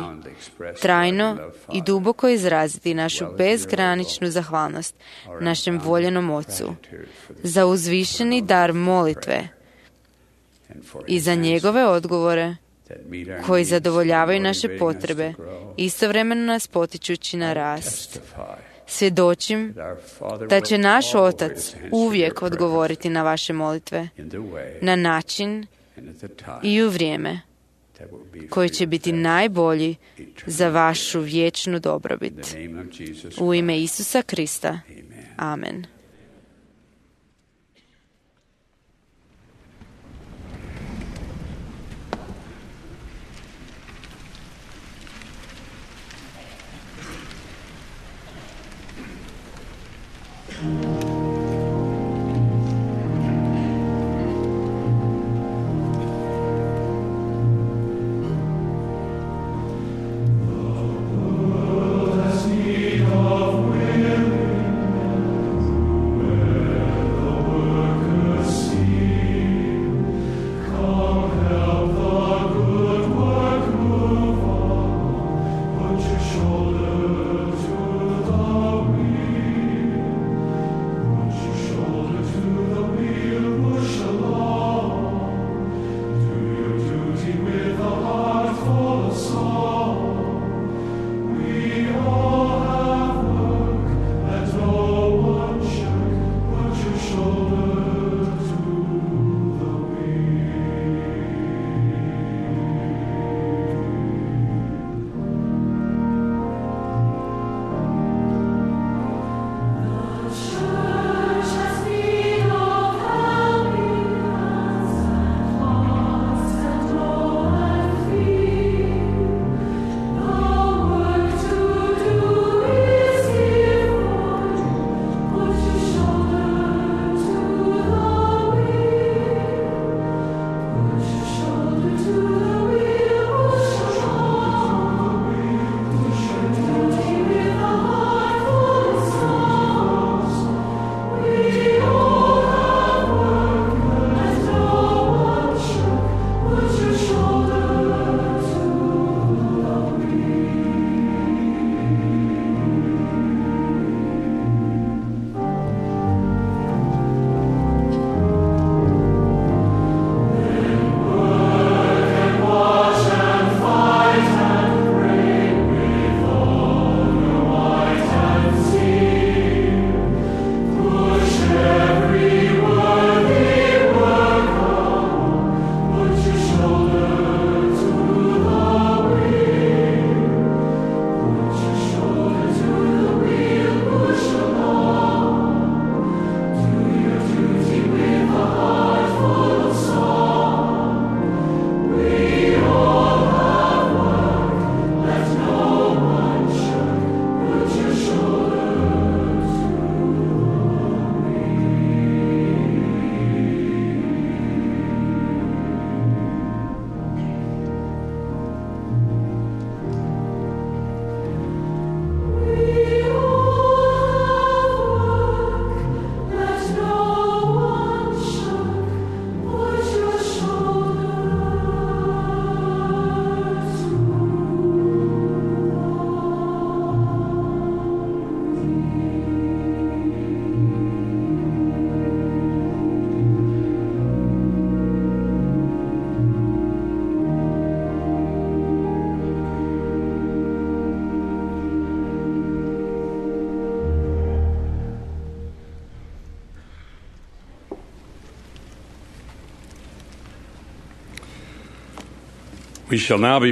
trajno i duboko izraziti našu bezgraničnu zahvalnost našem voljenom Ocu za uzvišeni dar molitve i za njegove odgovore koji zadovoljavaju naše potrebe, istovremeno nas potičući na rast. Svjedočim da će naš Otac uvijek odgovoriti na vaše molitve, na način i u vrijeme koji će biti najbolji za vašu vječnu dobrobit. U ime Isusa Krista. Amen.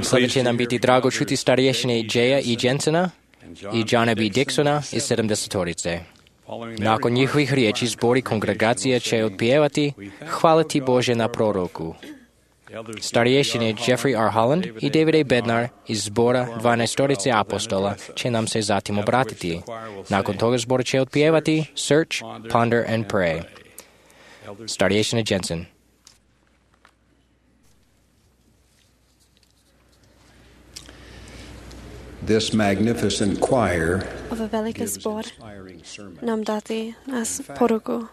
Sada će nam biti drago čuti starješine Jaya i Jensena i Johna B. Dixona iz sedamdesetorice. Nakon njihovih riječi zbori kongregacije će otpjevati Hvala ti Bože na proroku. Starješine Jeffrey R. Holland i David A. Bednar iz zbora dvanaestorice apostola će nam se zatim obratiti. Nakon toga zbor će otpjevati Search, Ponder and Pray. Starješine Jensen. This magnificent choir Ova velika zbor nam dati nas poruku.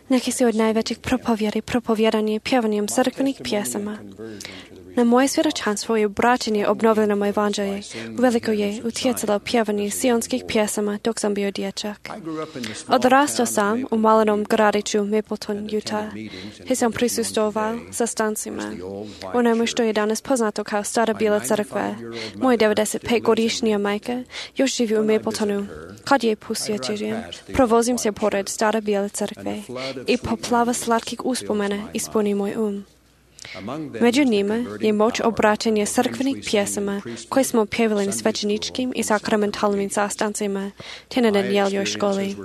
Neki su od najvećih propovjedi propovjedanje pjevanjem crkvenih pjesama. Na moje svjedočanstvo i obraćanje obnovljenom evanđelju veliko je utjecalo pjevanje sionskih pjesama dok sam bio dječak. Odrastao sam u malenom gradiću Mapleton, Utah, gdje sam prisustvovao sastancima. Onome što je danas poznato kao Stara Bijela crkva. Moja devedesetpetgodišnja majka još živi u Mapletonu. Kad je posjećujem, provozim se pored Stare Bijele crkve i poplava slatkih uspomena ispuni moj um. Među njima je moć obraćanja crkvenih pjesama koje smo pjevali na svećeničkim i sakramentalnim sastancima te na Danijeljoj školi.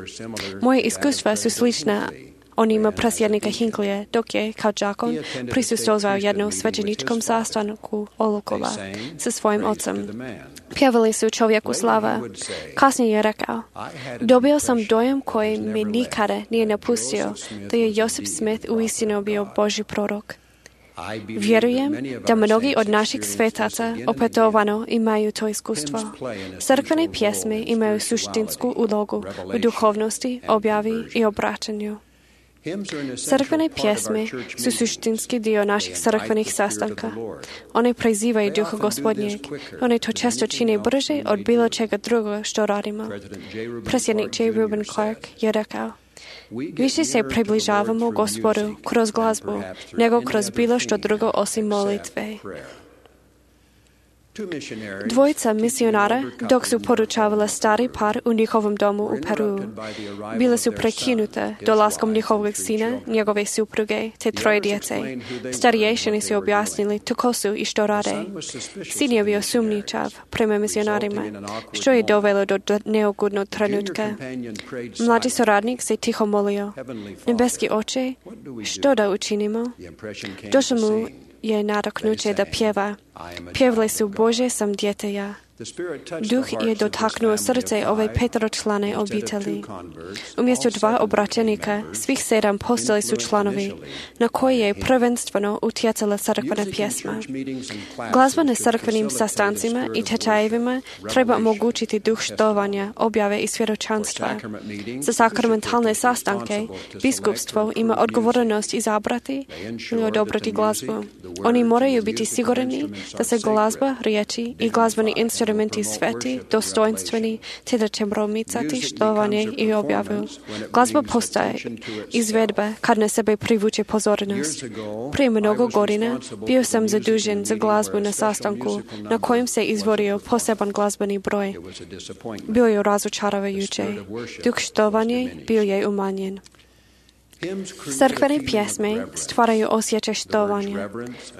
Moje iskustva su slična onima presjednika Hinklija, dok je, kao đakon, prisustvovao jednom svećeničkom sastanku Olukova sa svojim ocem. Pjevali su čovjeku slava. Kasnije je rekao, dobio sam dojam koji mi nikada nije napustio da je Joseph Smith uistinu bio Božji prorok. Vjerujem da mnogi od naših svetaca opetovano imaju to iskustvo. Crkvene pjesme imaju suštinsku ulogu u duhovnosti, objavi i obraćanju. Crkvene pjesme su suštinski dio naših crkvenih sastanka. One prizivaju duha Gospodnjeg. One to često čine brže od bilo čega drugo što radimo. Predsjednik J. Reuben Clark je rekao, više se približavamo Gospodu kroz glazbu nego kroz bilo što drugo osim molitve. Dvojica misionara, dok su poručavala stari par u njihovom domu u Peru, bila su prekinuta dolaskom njihovog sina, njegove supruge, te troje djece. Starješini su objasnili tko su i što rade. Sin je bio sumnjičav prema misionarima, što je dovelo do neugodnog trenutka. Mlađi suradnik se tiho molio, nebeski oče, što da učinimo? Došlo mu je nadoknuće da pjeva. Pjevali su Bože sam dijete ja. Duh je dotaknuo srce ove peteročlane obitelji. Umjesto dva obraćenika, svih sedam postali su članovi, na koje je prvenstveno utjecala crkvena pjesma. Glazba na crkvenim sastancima i tečajevima treba omogućiti duh štovanja, objave i svjedočanstva. Za sakramentalne sastanke, biskupstvo ima odgovornost izabrati ili odobrati glazbu. Oni moraju biti sigurni da se glazba, riječi i glazbeni instrumenti sveti, dostojinstveni, te da će promicati štovanje i objavu. Glazba postaje izvedba kad na sebe privuče pozornost. Prije mnogo godina bio sam zadužen za glazbu na sastanku na kojem se izvorio poseban glazbeni broj. Bio je razočaravajuće. Duh štovanje bio je umanjen. Crkvene pjesme stvaraju osjećaj štovanja.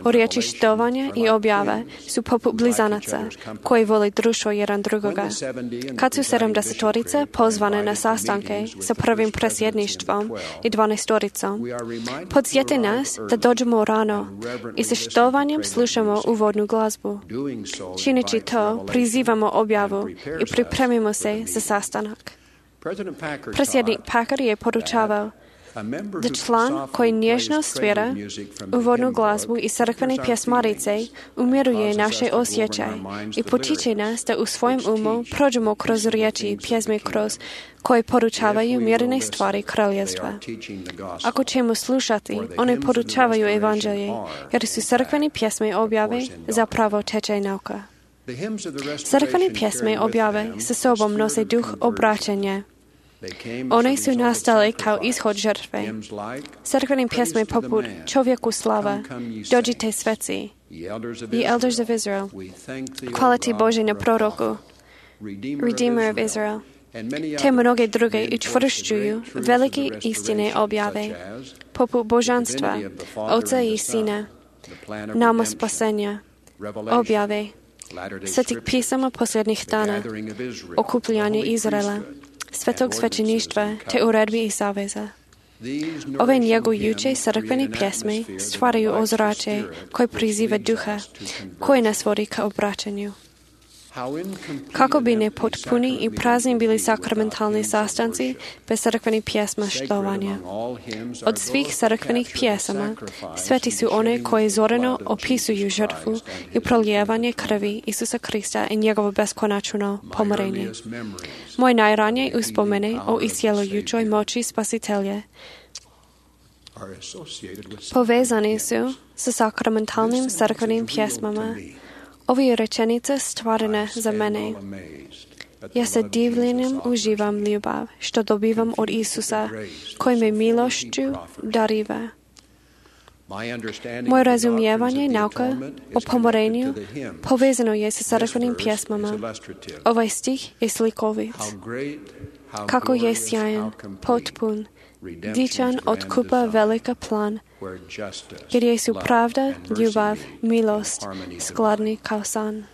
O riječi štovanja i objave su poput blizanaca koji vole društvo jedan drugoga. Kad su sedamdesetorice pozvane na sastanke sa prvim presjedništvom i dvanaestoricom, podsjeti nas da dođemo rano i sa štovanjem slušamo uvodnu glazbu. Čineći to, prizivamo objavu i pripremimo se za sastanak. Predsjednik Packer je poručavao da član koji nježno svira uvodnu glazbu i crkvene pjesmarice umiruje naše osjećaje i potiče nas da u svojem umu prođemo kroz riječi i pjesme kroz koje poručavaju mirne stvari kraljevstva. Ako ćemo slušati, one poručavaju evanđelje, jer su crkvene pjesme objave zapravo tečaj nauka. Crkvene pjesme objave sa sobom nose duh obraćanja. One su nastale kao ishod žrtve. Crkvene pjesme poput Čovjeku slava, Dođite sveci, Ye Elders of Israel, Hvala ti Bože na proroku, Redeemer of Israel, te mnoge druge učvršćuju velike istine objave, poput božanstva, Oca i Sina, nama spasenja, objave, svetih pisama posljednjih dana, okupljanje Izraela, svetog svećeništva te uredbi i saveza. Ove njegujuće crkvene pjesme stvaraju ozračje koje priziva duha, koje nas vodi ka obraćanju. Kako bi nepotpuni i prazni bili sakramentalni sastanci bez crkvenih pjesma štovanja. Od svih crkvenih pjesama sveti su one koje zoreno opisuju žrtvu i prolijevanje krvi Isusa Krista i njegovo beskonačno pomirenje. Moje najranije uspomene o iscjelujućoj moći Spasitelja povezani su sa sakramentalnim crkvenim pjesmama. Ovi rečenice stvarane za mene. Ja sa divljenjem uživam ljubav, što dobivam od Isusa, koji me milošću dariva. Moje razumijevanje nauka o pomirenju povezano je sa crkvenim pjesmama. Ovaj stih je slikovit. Kako je sjajan, potpun, dičan otkupa velika plan, gdje su pravda, ljubav, milost skladni kao san.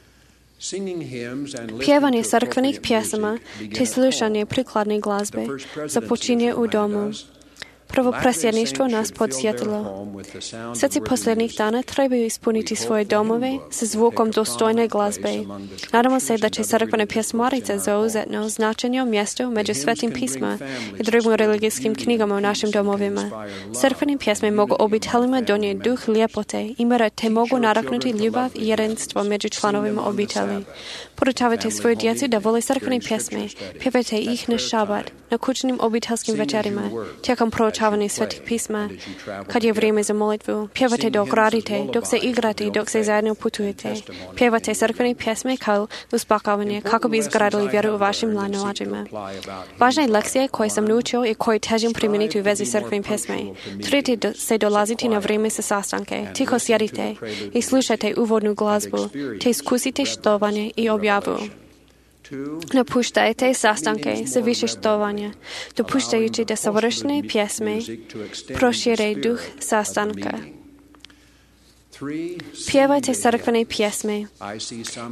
Pjevanje crkvenih pjesama te slušanje prikladne glazbe započinje u domu. Prvo presjedništvo nas podsjetilo. Sveci posljednjih dana trebaju ispuniti svoje domove sa zvukom dostojne glazbe. Nadamo se da će crkvene pjesmarice zauzetno značenje mjesto među svetim pisma i drugim religijskim knjigama u našim domovima. Crkvene pjesme mogu obiteljima donijeti duh ljepote i mira te mogu nadahnuti ljubav i jedinstvo među članovima obitelji. Podučavajte svoju djecu da vole crkvene pjesme. Pjevajte ih na šabat, na kućnim obiteljskim večerima, tijekom proučavanja svetih pisma, kad je vrijeme za molitvu. Pjevajte dok radite, dok se igrate, dok se zajedno putujete. Pjevajte crkvene pjesme kao uspokojavanje, kako bi izgradili vjeru u vašim mlađima. Važna lekcija koje sam naučio i koje težim primijeniti u vezi crkvene pjesme. Trudite se dolaziti na vrijeme sa sastanke, tiho sjedite i slušajte uvodnu glazbu, te iskusite štovanje i objavu. Napuštajte sastanke sa više štovanja, dopuštajući da savršene pjesme prošire duh sastanka. Pjevajte crkvene pjesme.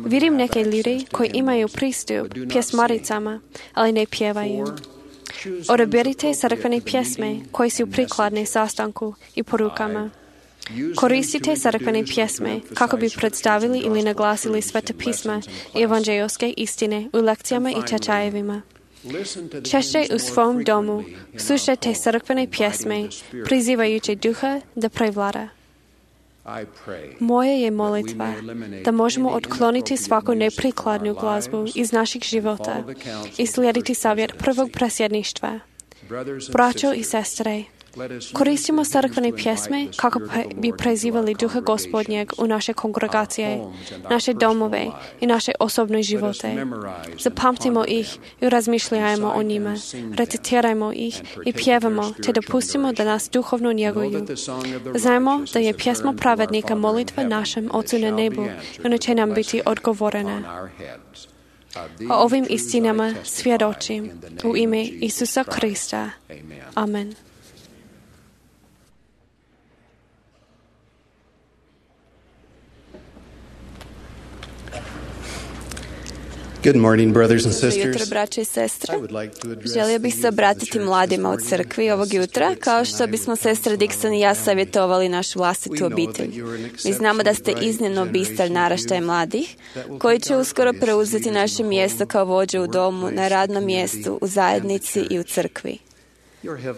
Vidim neke ljude koji imaju pristup pjesmaricama, ali ne pjevaju. Odaberite crkvene pjesme koje su prikladne sastanku i porukama. Koristite crkvene pjesme kako bi predstavili ili naglasili sveta pisma i evanđeljske istine u lekcijama i tečajevima. Češće u svom domu slušajte crkvene pjesme, prizivajući duha da prevlada. Moje je molitva da možemo otkloniti svaku neprikladnu glazbu iz naših života i slijediti savjet prvog presjedništva. Braćo i sestre, koristimo crkvene pjesme kako bi prezivali duha Gospodnjeg u naše kongregacije, naše domove i naše osobne živote. Zapamtimo ih i razmišljajmo o njima, recitirajmo ih i pjevamo, te dopustimo da nas duhovno njeguju. Znajmo da je pjesma pravednika molitva našem Ocu na nebu, ona će nam biti odgovorena. O ovim istinama svjedočim u ime Isusa Krista. Amen. Good morning, brothers and Jutro, sisters. braće i sestre. Želio bih se obratiti mladima u crkvi ovog jutra, kao što bismo sestra Dixon i ja savjetovali našu vlastitu obitelj. Mi znamo da ste iznimno bistar naraštaj mladih, koji će uskoro preuzeti naše mjesto kao vođe u domu, na radnom mjestu, u zajednici i u crkvi.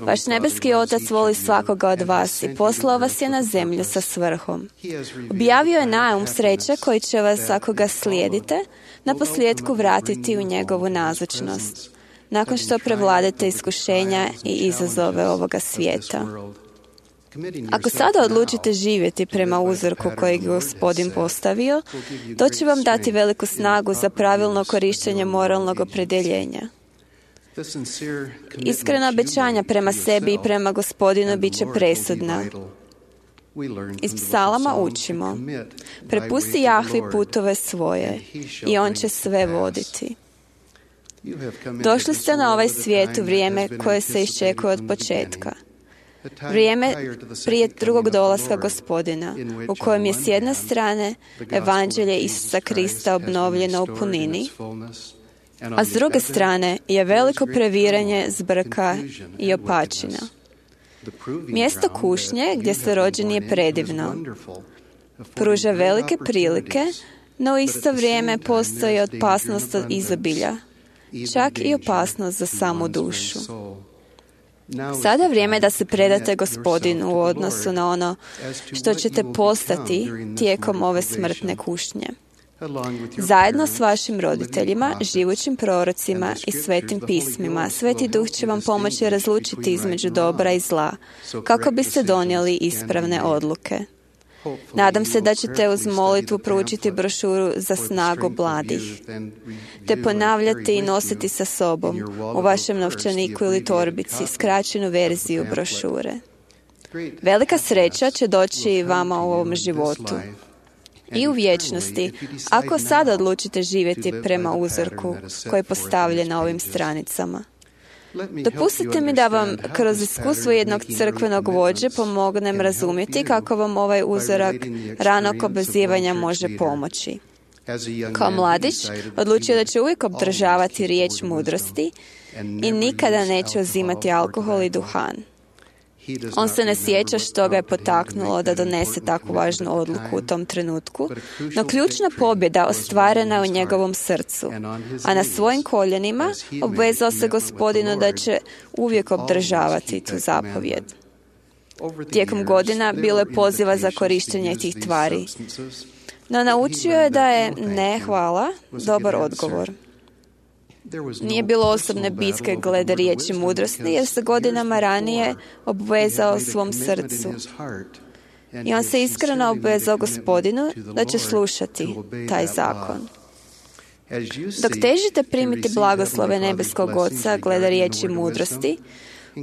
Vaš nebeski Otac voli svakoga od vas i poslao vas je na zemlju sa svrhom. Objavio je naum sreće koji će vas, ako ga slijedite, na posljedku vratiti u njegovu nazočnost, nakon što prevladate iskušenja i izazove ovoga svijeta. Ako sada odlučite živjeti prema uzorku kojeg je Gospodin postavio, to će vam dati veliku snagu za pravilno korištenje moralnog opredjeljenja. Iskrena obećanja prema sebi i prema Gospodinu bit će presudna. Iz psalama učimo: prepusti Jahvi putove svoje i on će sve voditi. Došli ste na ovaj svijet u vrijeme koje se iščekuje od početka. vrijeme prije drugog dolaska Gospodina, u kojem je s jedne strane evanđelje Isusa Krista obnovljeno u punini, a s druge strane je veliko previranje zbrka i opačina. Mjesto kušnje gdje ste rođeni je predivno. Pruža velike prilike, no u isto vrijeme postoji opasnost od izobilja, čak i opasnost za samu dušu. Sada je vrijeme da se predate Gospodinu u odnosu na ono što ćete postati tijekom ove smrtne kušnje. Zajedno s vašim roditeljima, živućim prorocima i svetim pismima, Sveti Duh će vam pomoći razlučiti između dobra i zla, kako biste donijeli ispravne odluke. Nadam se da ćete uz molitvu proučiti brošuru za snagu mladih, te ponavljati i nositi sa sobom u vašem novčaniku ili torbici skraćenu verziju brošure. Velika sreća će doći vama u ovom životu i u vječnosti, ako sada odlučite živjeti prema uzorku koji je postavljen na ovim stranicama. Dopustite mi da vam kroz iskustvo jednog crkvenog vođe pomognem razumjeti kako vam ovaj uzorak ranog obazivanja može pomoći. Kao mladić odlučio da će uvijek obdržavati riječ mudrosti i nikada neće uzimati alkohol i duhan. On se ne sjeća što ga je potaknulo da donese takvu važnu odluku u tom trenutku, no ključna pobjeda ostvarena je u njegovom srcu, a na svojim koljenima obvezao se Gospodinu da će uvijek obdržavati tu zapovjed. Tijekom godina bilo je poziva za korištenje tih tvari, no naučio je da je ne, hvala, dobar odgovor. Nije bilo osobne bitke glede riječi mudrosti, jer se godinama ranije obvezao svom srcu. I on se iskreno obvezao Gospodinu da će slušati taj zakon. Dok težite primiti blagoslove nebeskog Oca glede riječi mudrosti,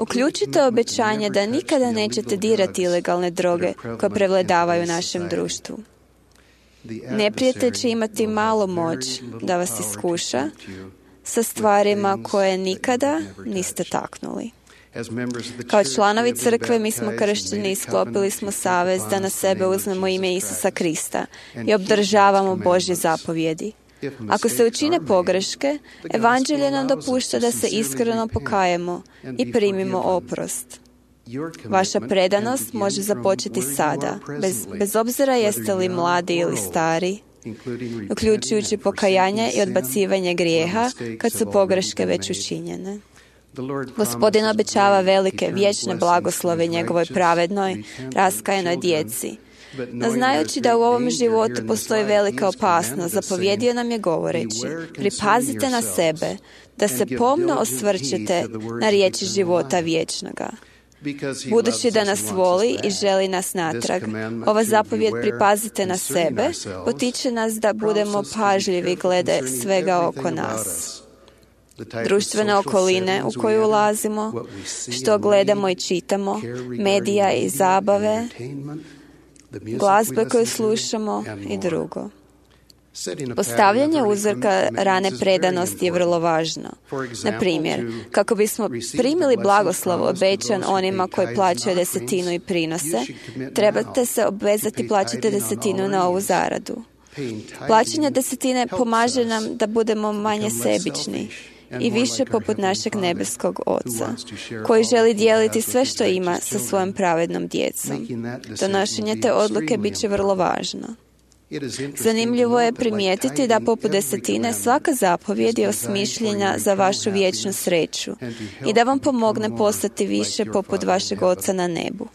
uključite obećanje da nikada nećete dirati ilegalne droge koje prevladavaju u našem društvu. Neprijatelj će imati malo moć da vas iskuša sa stvarima koje nikada niste taknuli. Kao članovi crkve mi smo kršćeni i sklopili smo savez da na sebe uzmemo ime Isusa Krista i obdržavamo Božje zapovjedi. Ako se učine pogreške, evanđelje nam dopušta da se iskreno pokajemo i primimo oprost. Vaša predanost može započeti sada, bez, bez obzira jeste li mladi ili stari, uključujući pokajanje i odbacivanje grijeha kad su pogreške već učinjene. Gospodin obećava velike, vječne blagoslove njegovoj pravednoj, raskajenoj djeci. No znajući da u ovom životu postoji velika opasnost, zapovjedio nam je govoreći: pripazite na sebe, da se pomno osvrćete na riječi života vječnoga. Budući da nas voli i želi nas natrag, ova zapovjed pripazite na sebe potiče nas da budemo pažljivi glede svega oko nas. Društvene okoline u koju ulazimo, što gledamo i čitamo, medija i zabave, glazbe koju slušamo i drugo. Postavljanje uzorka rane predanosti je vrlo važno. Na primjer, kako bismo primili blagoslov obećan onima koji plaćaju desetinu i prinose, trebate se obvezati plaćati desetinu na ovu zaradu. Plaćanje desetine pomaže nam da budemo manje sebični i više poput našeg nebeskog Oca, koji želi dijeliti sve što ima sa svojom pravednom djecom. Donošenje te odluke bit će vrlo važno. Zanimljivo je primijetiti da poput desetine svaka zapovjed je osmišljena za vašu vječnu sreću i da vam pomogne postati više poput vašeg Oca na nebu.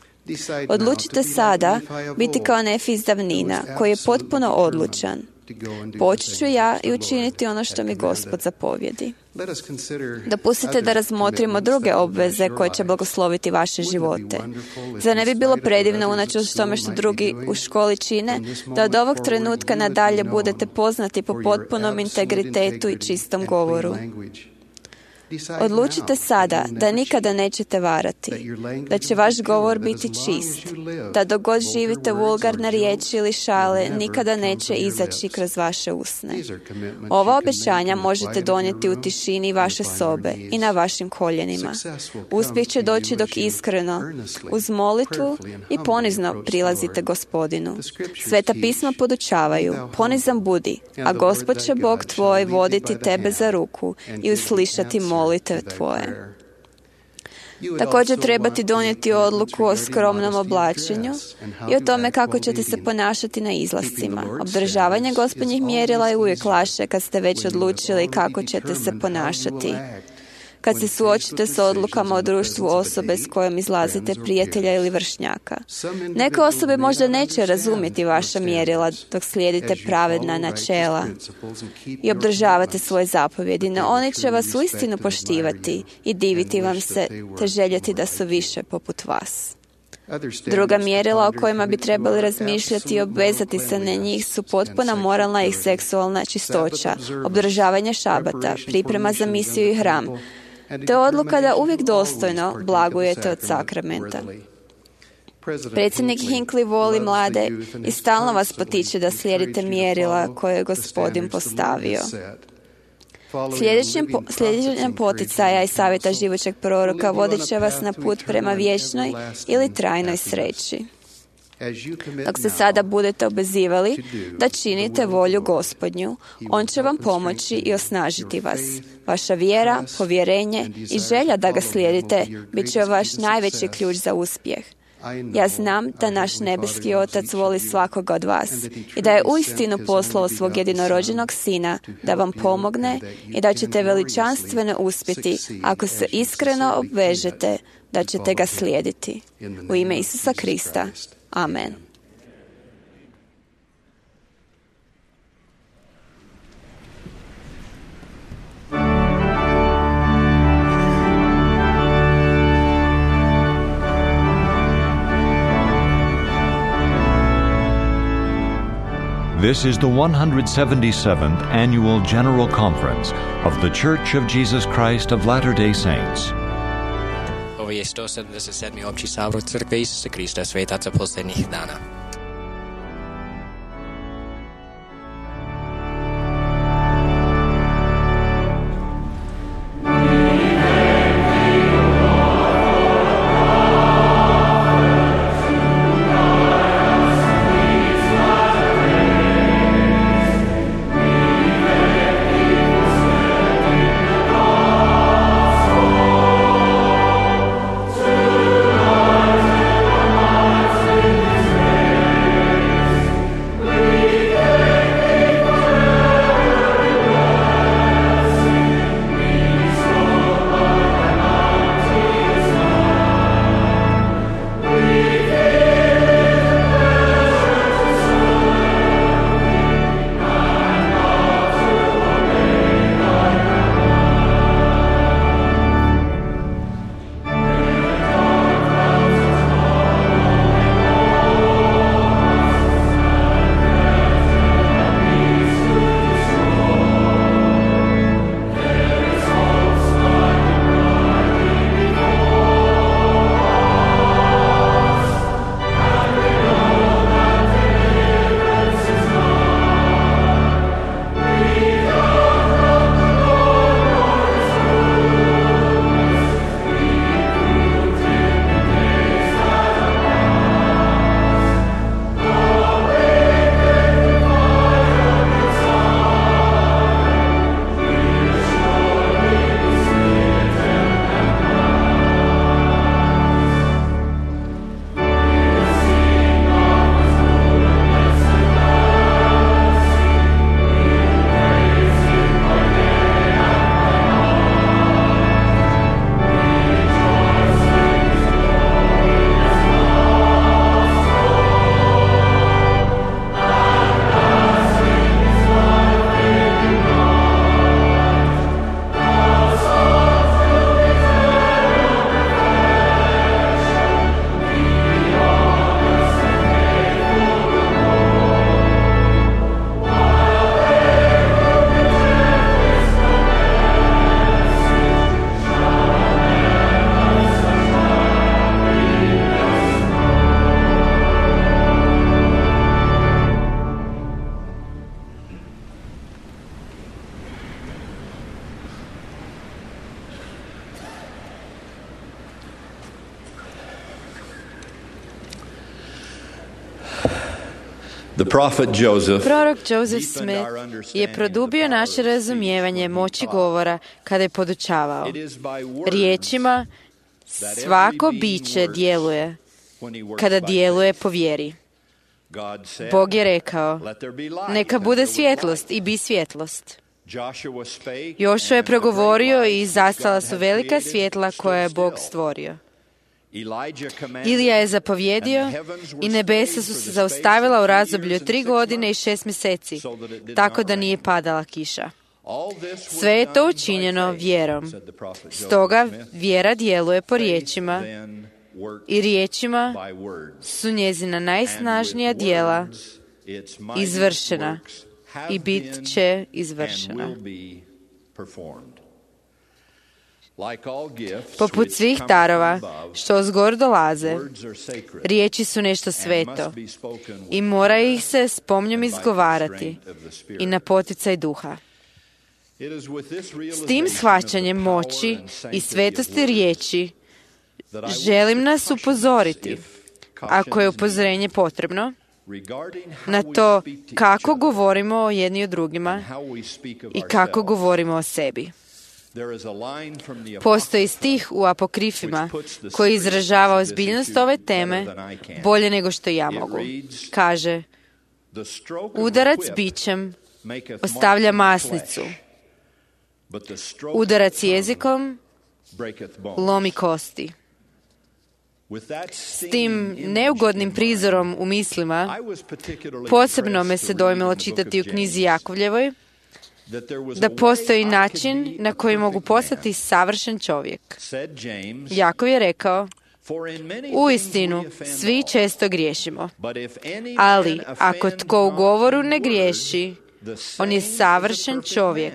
Odlučite sada biti kao Nefi iz davnina, koji je potpuno odlučan. Poći ću ja i učiniti ono što mi Gospod zapovjedi. Dopustite da razmotrimo druge obveze koje će blagosloviti vaše živote. Zar ne bi bilo predivno, unatoč tome što drugi u školi čine, da od ovog trenutka nadalje budete poznati po potpunom integritetu i čistom govoru? Odlučite sada da nikada nećete varati, da će vaš govor biti čist, da dok god živite vulgarne riječi ili šale, nikada neće izaći kroz vaše usne. Ova obećanja možete donijeti u tišini vaše sobe i na vašim koljenima. Uspjeh će doći dok iskreno, uz molitvu i ponizno prilazite Gospodinu. Sveta pisma podučavaju, ponizan budi, a Gospod će Bog tvoj voditi tebe za ruku i uslišati molitve tvoje. Također trebate donijeti odluku o skromnom oblačenju i o tome kako ćete se ponašati na izlascima. Obdržavanje Gospodnjih mjerila je uvijek lakše kad ste već odlučili kako ćete se ponašati. Kad se suočite s odlukama o društvu osobe s kojom izlazite, prijatelja ili vršnjaka. Neke osobe možda neće razumjeti vaša mjerila dok slijedite pravedna načela i obdržavate svoje zapovjedi, no oni će vas uistinu poštivati i diviti vam se, te željeti da su više poput vas. Druga mjerila o kojima bi trebali razmišljati i obvezati se na njih su potpuna moralna i seksualna čistoća, obdržavanje šabata, priprema za misiju i hram, te odluka da uvijek dostojno blagujete od sakramenta. Predsjednik Hinckley voli mlade i stalno vas potiče da slijedite mjerila koje je Gospodin postavio. Sljedećem, po, sljedećem poticaja i savjeta živućeg proroka vodit će vas na put prema vječnoj ili trajnoj sreći. Dok se sada budete obvezivali da činite volju Gospodnju, On će vam pomoći i osnažiti vas. Vaša vjera, povjerenje i želja da ga slijedite bit će vaš najveći ključ za uspjeh. Ja znam da naš nebeski Otac voli svakoga od vas i da je uistinu poslao svog jedinorođenog Sina da vam pomogne i da ćete veličanstveno uspjeti ako se iskreno obvežete da ćete ga slijediti. U ime Isusa Krista. Amen. This is the one hundred seventy-seventh Annual General Conference of The Church of Jesus Christ of Latter-day Saints. Ovo je sto sedamdeset sedmi opći sabor Crkve Isusa Krista svetaca posljednjih dana. Say The prophet Joseph Prorok Joseph Smith je produbio naše razumijevanje moći govora kada je podučavao. Riječima svako biće djeluje kada djeluje po vjeri. Bog je rekao, neka bude svjetlost i bi svjetlost. Jošua je progovorio i zastala su velika svjetla koja je Bog stvorio. Ilija je zapovjedio i nebesa su se zaustavila u razdoblju od tri godine i šest mjeseci, tako da nije padala kiša. Sve je to učinjeno vjerom. Stoga vjera djeluje po riječima i riječima su njezina najsnažnija djela izvršena i bit će izvršena. Poput svih darova što ozgor dolaze, riječi su nešto sveto i mora ih se s pomnjom izgovarati i na poticaj duha. S tim shvaćanjem moći i svetosti riječi želim nas upozoriti, ako je upozorenje potrebno, na to kako govorimo o jedni o drugima i kako govorimo o sebi. Postoji stih u apokrifima koji izražava ozbiljnost ove teme bolje nego što ja mogu. Kaže, udarac bićem ostavlja masnicu, udarac jezikom lomi kosti. S tim neugodnim prizorom u mislima, posebno me se dojmilo čitati u knjizi Jakovljevoj, da postoji način na koji mogu postati savršen čovjek. Jakov je rekao, uistinu, svi često griješimo, ali ako tko u govoru ne griješi, on je savršen čovjek,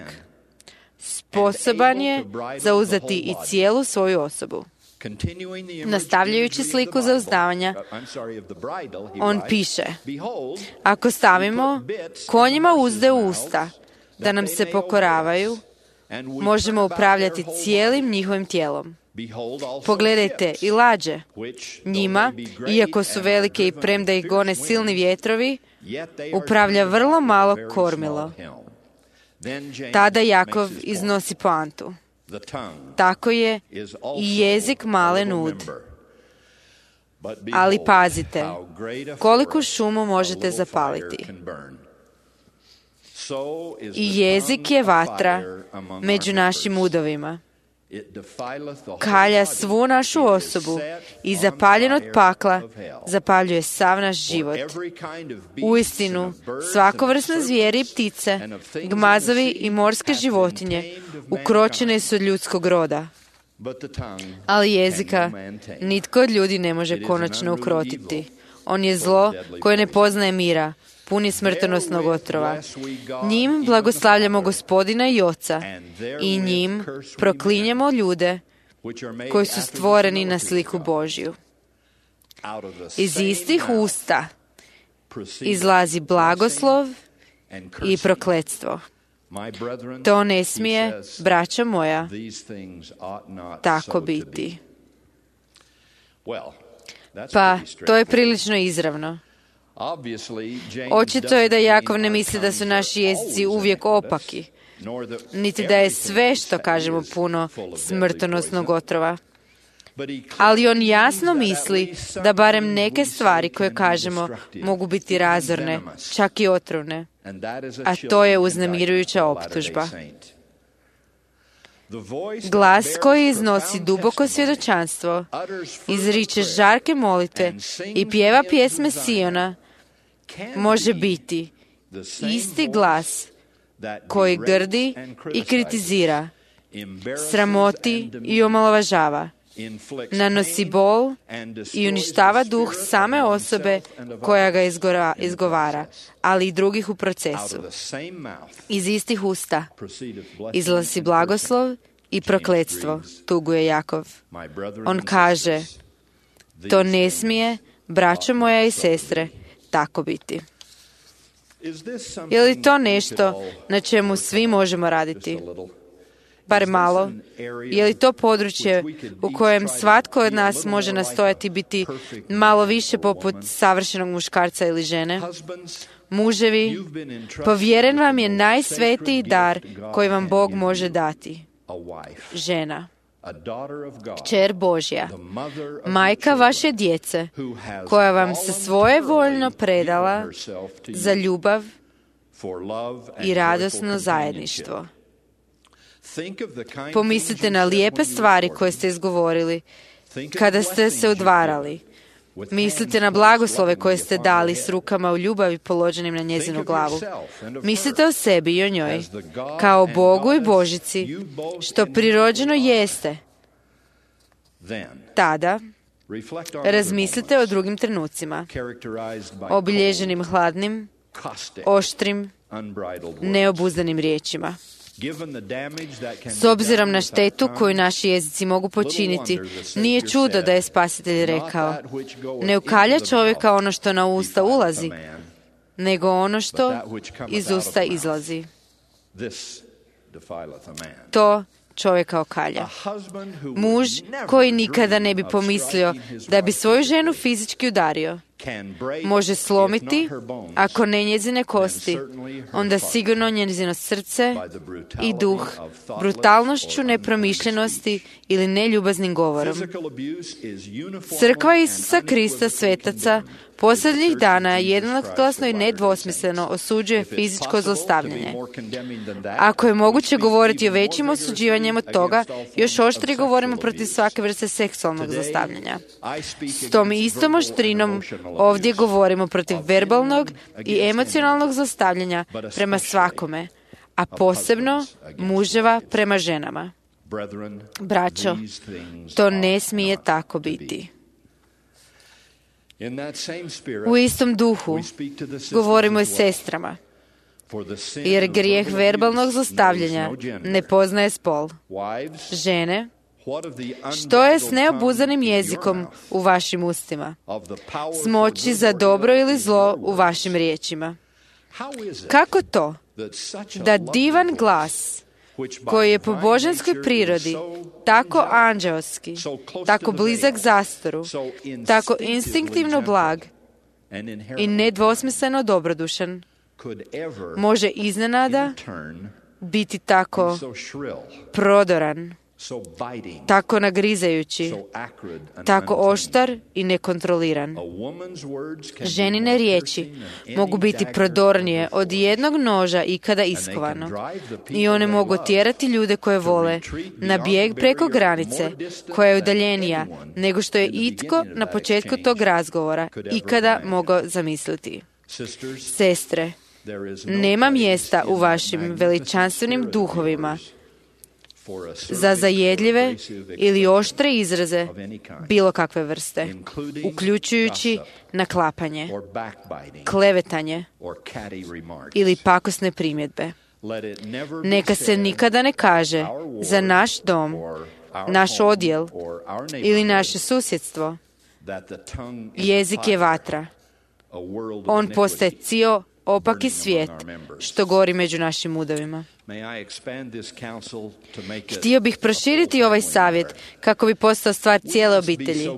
sposoban je zauzeti i cijelu svoju osobu. Nastavljajući sliku zauzdavanja, on piše, ako stavimo konjima uzde u usta, da nam se pokoravaju, možemo upravljati cijelim njihovim tijelom. Pogledajte i lađe. Njima, iako su velike i premda ih gone silni vjetrovi, upravlja vrlo malo kormilo. Tada Jakov iznosi poantu. Tako je i jezik malen ud. Ali pazite, koliku šumu možete zapaliti. I jezik je vatra među našim udovima. Kalja svu našu osobu i zapaljen od pakla zapaljuje sav naš život. Uistinu, svakovrsne zvijeri i ptice, gmazovi i morske životinje ukročene su od ljudskog roda. Ali jezika nitko od ljudi ne može konačno ukrotiti. On je zlo koje ne poznaje mira, puni smrtonosnog otrova. Njim blagoslavljamo Gospodina i Oca i njim proklinjamo ljude koji su stvoreni na sliku Božju. Iz istih usta izlazi blagoslov i prokletstvo. To ne smije, braćo moja, tako biti. Pa, to je prilično izravno. Očito je da Jakov ne misli da su naši jezici uvijek opaki, niti da je sve što kažemo puno smrtonosnog otrova. Ali on jasno misli da barem neke stvari koje kažemo mogu biti razorne, čak i otrovne, a to je uznemirujuća optužba. Glas koji iznosi duboko svjedočanstvo, izriče žarke molitve i pjeva pjesme Siona, može biti isti glas koji grdi i kritizira, sramoti i omalovažava, nanosi bol i uništava duh same osobe koja ga izgovara, ali i drugih u procesu. Iz istih usta izlazi blagoslov i prokletstvo, tuguje Jakov. On kaže, to ne smije, braćo moja i sestre, tako biti. Je li to nešto na čemu svi možemo raditi? bar malo? Je li to područje u kojem svatko od nas može nastojati biti malo više poput savršenog muškarca ili žene? Muževi, povjeren vam je najsvetiji dar koji vam Bog može dati. Žena, kćer Božja, majka vaše djece, koja vam se svojevoljno predala za ljubav i radosno zajedništvo. Pomislite na lijepe stvari koje ste izgovorili kada ste se udvarali. Mislite na blagoslove koje ste dali s rukama u ljubavi položenim na njezinu glavu. Mislite o sebi i o njoj, kao Bogu i Božici, što prirođeno jeste. Tada razmislite o drugim trenucima, obilježenim hladnim, oštrim, neobuzdanim riječima. S obzirom na štetu koju naši jezici mogu počiniti, nije čudo da je Spasitelj rekao: ne ukalja čovjeka ono što na usta ulazi, nego ono što iz usta izlazi. To čovjeka okalja. Muž koji nikada ne bi pomislio da bi svoju ženu fizički udario, može slomiti, ako ne njezine kosti, onda sigurno njezino srce i duh brutalnošću nepromišljenosti ili neljubaznim govorom. Crkva Isusa Krista svetaca posljednjih dana jednoglasno i nedvosmisleno osuđuje fizičko zlostavljanje. Ako je moguće govoriti o većim osuđivanjem od toga, još oštrije govorimo protiv svake vrste seksualnog zlostavljanja. S tom istom oštrinom ovdje govorimo protiv verbalnog i emocionalnog zlostavljanja prema svakome, a posebno muževa prema ženama. Braćo, to ne smije tako biti. U istom duhu govorimo i sestrama, jer grijeh verbalnog zlostavljanja ne poznaje spol. Žene, što je s neobuzanim jezikom u vašim ustima? S moći za dobro ili zlo u vašim riječima? Kako to da divan glas, koji je po božanskoj prirodi tako anđeoski, tako blizak zastoru, tako instinktivno blag i nedvosmisleno dobrodušan, može iznenada biti tako prodoran, tako nagrizajući, tako oštar i nekontroliran. Ženine riječi mogu biti prodornije od jednog noža ikada iskovano i one mogu tjerati ljude koje vole na bijeg preko granice koja je udaljenija nego što je itko na početku tog razgovora ikada mogao zamisliti. Sestre, nema mjesta u vašim veličanstvenim duhovima za zajedljive ili oštre izraze bilo kakve vrste, uključujući naklapanje, klevetanje ili pakosne primjedbe. Neka se nikada ne kaže za naš dom, naš odjel ili naše susjedstvo: jezik je vatra. On postaje cijel opaki svijet što gori među našim udovima. Htio bih proširiti ovaj savjet kako bi postao stvar cijele obitelji.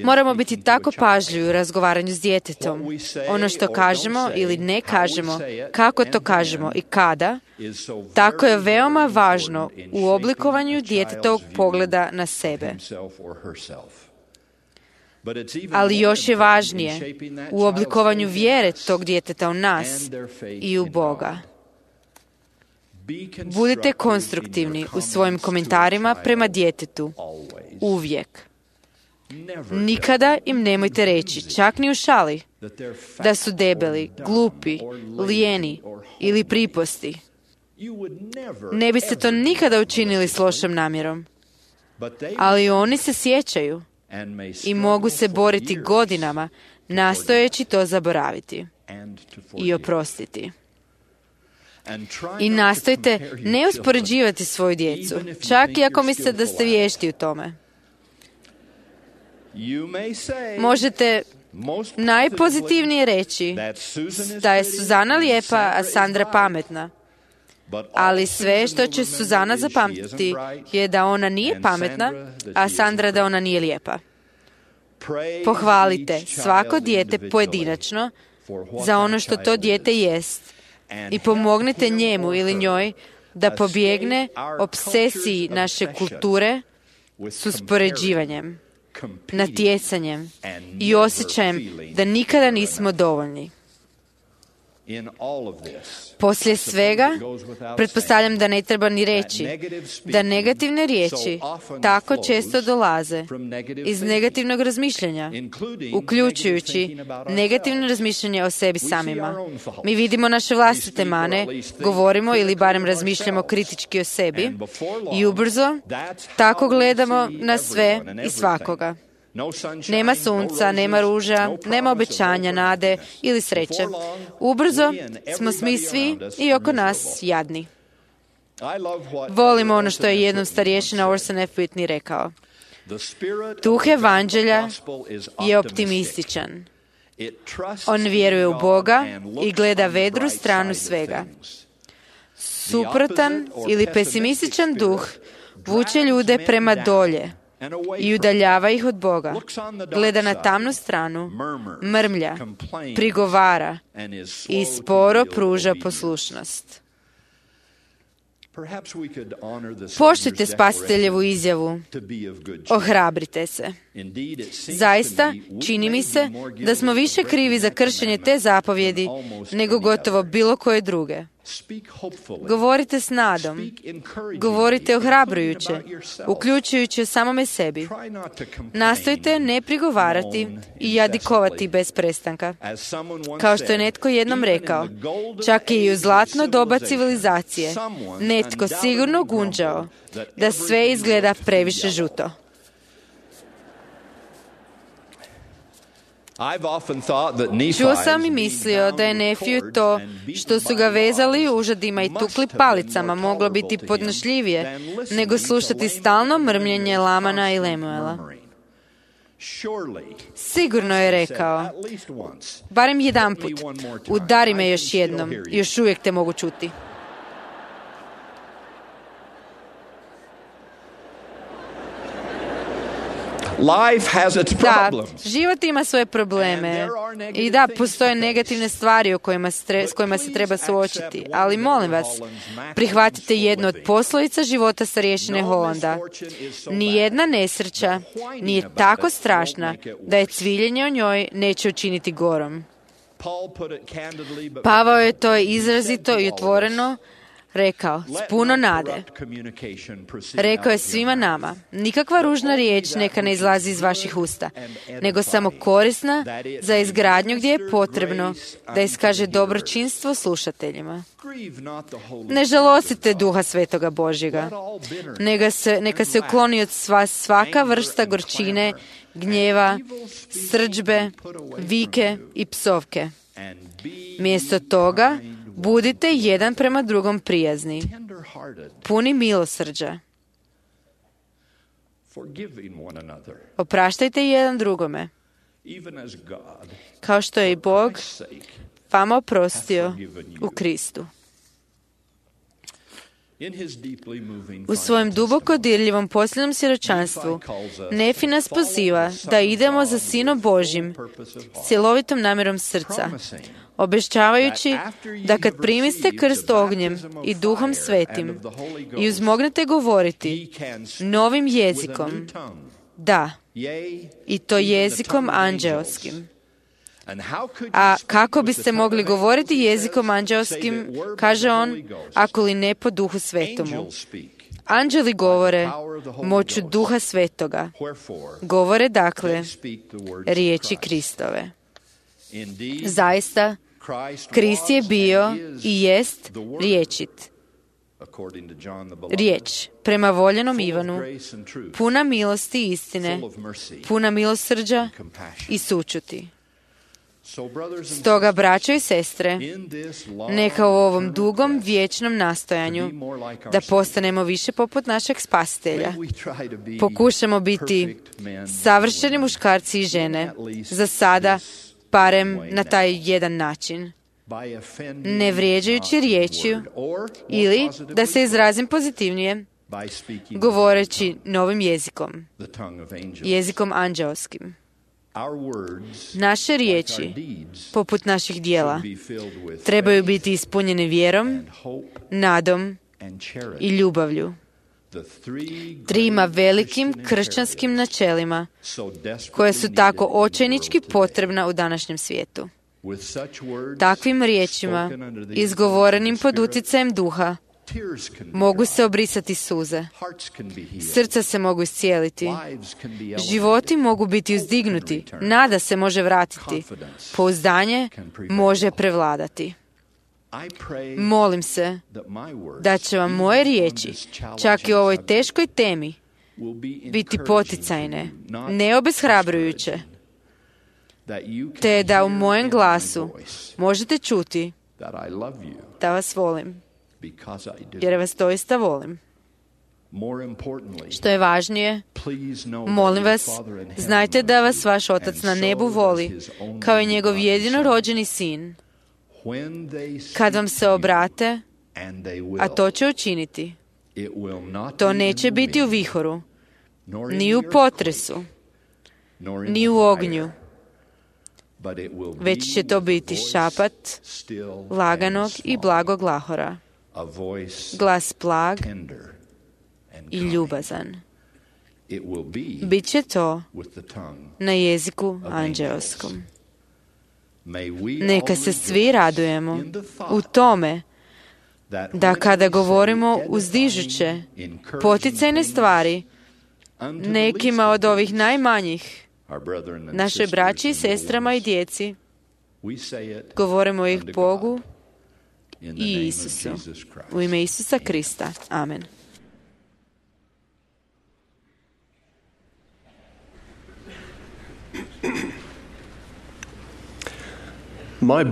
Moramo biti tako pažljivi u razgovaranju s djetetom. Ono što kažemo ili ne kažemo, kako to kažemo i kada, tako je veoma važno u oblikovanju djetetovog pogleda na sebe. Ali još je važnije u oblikovanju vjere tog djeteta u nas i u Boga. Budite konstruktivni u svojim komentarima prema djetetu, uvijek. Nikada im nemojte reći, čak ni u šali, da su debeli, glupi, lijeni ili priposti. Ne biste to nikada učinili s lošom namjerom. Ali oni se sjećaju i mogu se boriti godinama nastojeći to zaboraviti i oprostiti. I nastojte ne uspoređivati svoju djecu, čak i ako mislite da ste vješti u tome. Možete najpozitivnije reći da je Suzana lijepa, a Sandra pametna. Ali sve što će Suzana zapamtiti je da ona nije pametna, a Sandra da ona nije lijepa. Pohvalite svako dijete pojedinačno za ono što to dijete jest i pomognite njemu ili njoj da pobjegne obsesiji naše kulture s uspoređivanjem, natjecanjem i osjećajem da nikada nismo dovoljni. Poslije svega, pretpostavljam da ne treba ni reći da negativne riječi tako često dolaze iz negativnog razmišljanja, uključujući negativno razmišljanje o sebi samima. Mi vidimo naše vlastite mane, govorimo ili barem razmišljamo kritički o sebi i ubrzo tako gledamo na sve i svakoga. Nema sunca, nema ruža, nema obećanja, nade ili sreće. Ubrzo smo mi svi i oko nas jadni. Volimo ono što je jednom starješina Orson F. Whitney rekao. Duh evanđelja je optimističan. On vjeruje u Boga i gleda vedru stranu svega. Suprotan ili pesimističan duh vuče ljude prema dolje i udaljava ih od Boga, gleda na tamnu stranu, mrmlja, prigovara i sporo pruža poslušnost. Poštujte Spasiteljevu izjavu, ohrabrite se. Zaista, čini mi se da smo više krivi za kršenje te zapovjedi nego gotovo bilo koje druge. Govorite s nadom, govorite ohrabrujuće, uključujući o samome sebi. Nastojte ne prigovarati i jadikovati bez prestanka. Kao što je netko jednom rekao, čak i u zlatno doba civilizacije, netko sigurno gunđao da sve izgleda previše žuto. Čuo sam i mislio da je Nefiju to što su ga vezali užadima i tukli palicama moglo biti podnošljivije nego slušati stalno mrmljenje Lamana i Lemuela. Sigurno je rekao, barem jedanput, udari me još jednom, još uvijek te mogu čuti. Life has its problems. Da, život ima svoje probleme i da, postoje negativne stvari o kojima stre, s kojima se treba suočiti, ali molim vas, prihvatite jednu od poslovica života starješine Holanda. Nijedna nesreća nije tako strašna da je cviljenje o njoj neće učiniti gorom. Pavao je to izrazito i otvoreno rekao, s puno nade. Rekao je svima nama, nikakva ružna riječ neka ne izlazi iz vaših usta, nego samo korisna za izgradnju gdje je potrebno da iskaže dobročinstvo slušateljima. Ne žalostite Duha Svetoga Božjega, neka se, neka se ukloni od vas svaka vrsta gorčine, gnjeva, srdžbe, vike i psovke. Mjesto toga, budite jedan prema drugom prijazni, puni milosrđa. Opraštajte jedan drugome, kao što je i Bog vama oprostio u Kristu. U svojem duboko dirljivom posljednom svjedočanstvu Nefi nas poziva da idemo za Sinom Božjim s cjelovitom namjerom srca, obećavajući da kad primiste krst ognjem i Duhom Svetim i uzmognete govoriti novim jezikom, da, i to jezikom anđeoskim. A kako biste mogli govoriti jezikom anđeoskim, kaže on, ako li ne po Duhu Svetomu? Anđeli govore moću Duha Svetoga. Govore, dakle, riječi Kristove. Zaista, Krist je bio i jest riječit. Riječ, prema voljenom Ivanu, puna milosti i istine, puna milosrđa i sućuti. Stoga, braćo i sestre, neka u ovom dugom vječnom nastojanju da postanemo više poput našeg Spasitelja, pokušamo biti savršeni muškarci i žene, za sada barem na taj jedan način. ne vrijeđajući riječju, ili, da se izrazim pozitivnije, govoreći novim jezikom, jezikom anđeoskim. Naše riječi, poput naših dijela, trebaju biti ispunjene vjerom, nadom i ljubavlju, trima velikim kršćanskim načelima koje su tako očajnički potrebna u današnjem svijetu. Takvim riječima, izgovorenim pod utjecajem duha, mogu se obrisati suze, srca se mogu iscijeliti, životi mogu biti uzdignuti, nada se može vratiti, pouzdanje može prevladati. Molim se da će vam moje riječi, čak i u ovoj teškoj temi, biti poticajne, ne obeshrabrujuće, te da u mojem glasu možete čuti da vas volim, jer vas doista volim. Što je važnije, molim vas, znajte da vas vaš Otac na nebu voli, kao i njegov jedino rođeni sin. Kad vam se obrate, a to će učiniti, to neće biti u vihoru, ni u potresu, ni u ognju, već će to biti šapat laganog i blagog glahora, glas blag i ljubazan. Biće to na jeziku anđeoskom. Neka se svi radujemo u tome da kada govorimo uzdižuće, poticajne stvari nekima od ovih najmanjih, našoj braći i sestrama i djeci, govorimo ih Bogu i Isusu. U ime Isusa Krista. Amen. Moj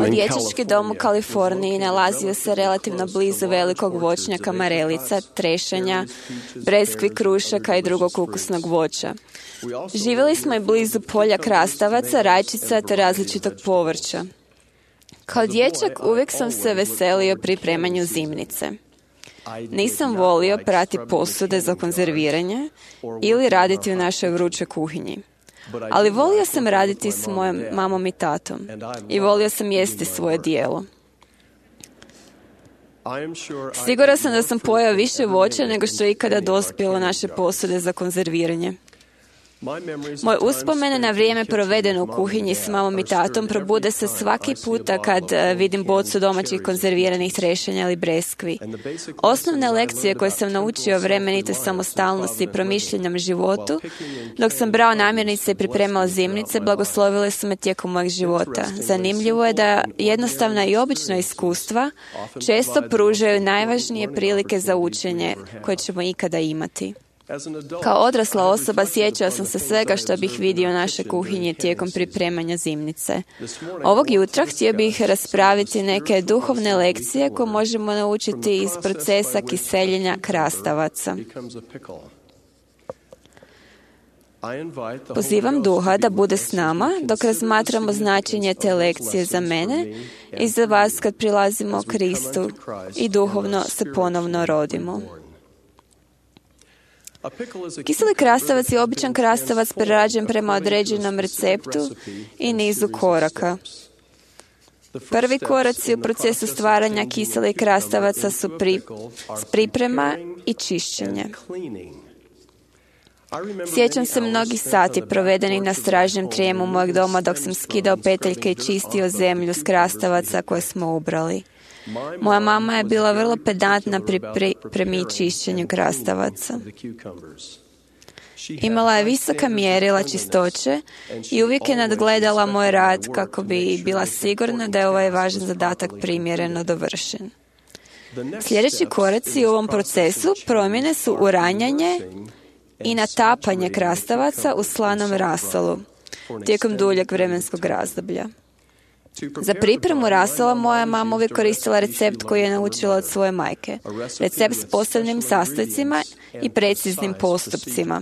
dječački dom u Kaliforniji nalazio se relativno blizu velikog voćnjaka marelica, trešanja, breskvi, krušaka i drugog ukusnog voća. Živjeli smo i blizu polja krastavaca, rajčica te različitog povrća. Kao dječak uvijek sam se veselio pripremanju zimnice. Nisam volio prati posude za konzerviranje ili raditi u našoj vrućoj kuhinji. Ali volio sam raditi s mojom mamom i tatom i volio sam jesti svoje dijelo. Siguran sam da sam pojeo više voća nego što je ikada dospjelo naše posude za konzerviranje. Moje uspomene na vrijeme provedeno u kuhinji s mamom i tatom probude se svaki puta kad vidim bocu domaćih konzerviranih trešanja ili breskvi. Osnovne lekcije koje sam naučio o vremenitoj samostalnosti i promišljenom životu, dok sam brao namirnice i pripremao zimnice, blagoslovile su me tijekom mojeg života. Zanimljivo je da jednostavna i obična iskustva često pružaju najvažnije prilike za učenje koje ćemo ikada imati. Kao odrasla osoba sjećao sam se svega što bih vidio u našoj kuhinji tijekom pripremanja zimnice. Ovog jutra htio bih raspraviti neke duhovne lekcije koje možemo naučiti iz procesa kiseljenja krastavaca. Pozivam Duha da bude s nama dok razmatramo značenje te lekcije za mene i za vas kad prilazimo Kristu i duhovno se ponovno rodimo. Kiseli krastavac je običan krastavac prerađen prema određenom receptu i nizu koraka. Prvi koraci u procesu stvaranja kiselih krastavaca su pri, priprema i čišćenje. Sjećam se mnogih sati provedenih na stražnjem trijemu mojeg doma dok sam skidao peteljke i čistio zemlju s krastavaca koje smo ubrali. Moja mama je bila vrlo pedantna pri pripremi i čišćenju krastavaca. Imala je visoka mjerila čistoće i uvijek je nadgledala moj rad kako bi bila sigurna da je ovaj važan zadatak primjereno dovršen. Sljedeći koraci u ovom procesu promjene su uranjanje i natapanje krastavaca u slanom rasolu tijekom duljeg vremenskog razdoblja. Za pripremu rasola moja mama uvijek koristila recept koji je naučila od svoje majke. Recept s posebnim sastojcima i preciznim postupcima.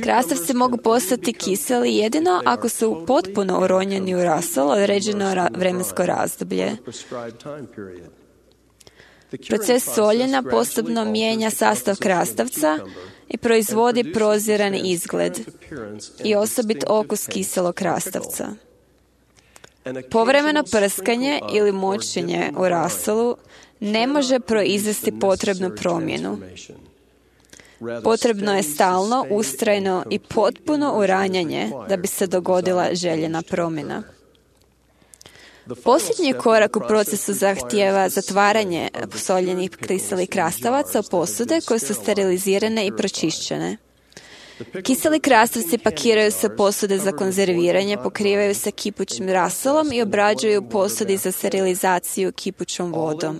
Krastavci mogu postati kiseli jedino ako su potpuno uronjeni u rasol određeno ra- vremensko razdoblje. Proces soljenja postupno mijenja sastav krastavca i proizvodi prozirani izgled i osobit okus kiselog krastavca. Povremeno prskanje ili močenje u rasolu ne može proizvesti potrebnu promjenu. Potrebno je stalno, ustrajno i potpuno uranjanje da bi se dogodila željena promjena. Posljednji korak u procesu zahtijeva zatvaranje soljenih kiselih krastavaca u posude koje su sterilizirane i pročišćene. Kiseli krastavci pakiraju se posude za konzerviranje, pokrivaju se kipućim rasolom i obrađuju posudi za sterilizaciju kipućom vodom.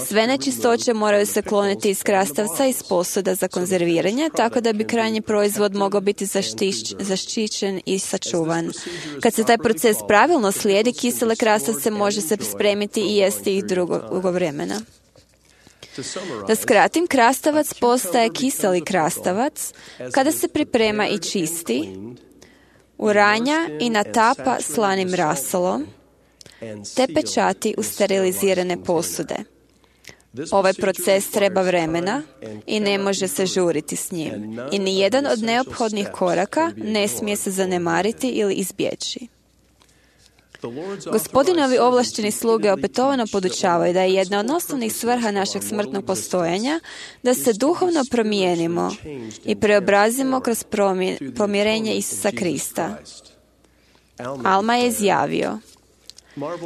Sve nečistoće moraju se kloniti iz krastavca i iz posuda za konzerviranje, tako da bi krajnji proizvod mogao biti zaštić, zaštićen i sačuvan. Kad se taj proces pravilno slijedi, kisele krastavce može se spremiti i jesti ih dugo vremena. Da skratim, krastavac postaje kiseli krastavac kada se priprema i čisti, uranja i natapa slanim rasolom, te pečati u sterilizirane posude. Ovaj proces treba vremena i ne može se žuriti s njim. I nijedan od neophodnih koraka ne smije se zanemariti ili izbjeći. Gospodinovi ovlašteni sluge opetovano podučavaju da je jedna od osnovnih svrha našeg smrtnog postojanja da se duhovno promijenimo i preobrazimo kroz pomirenje Isusa Krista. Alma je izjavio: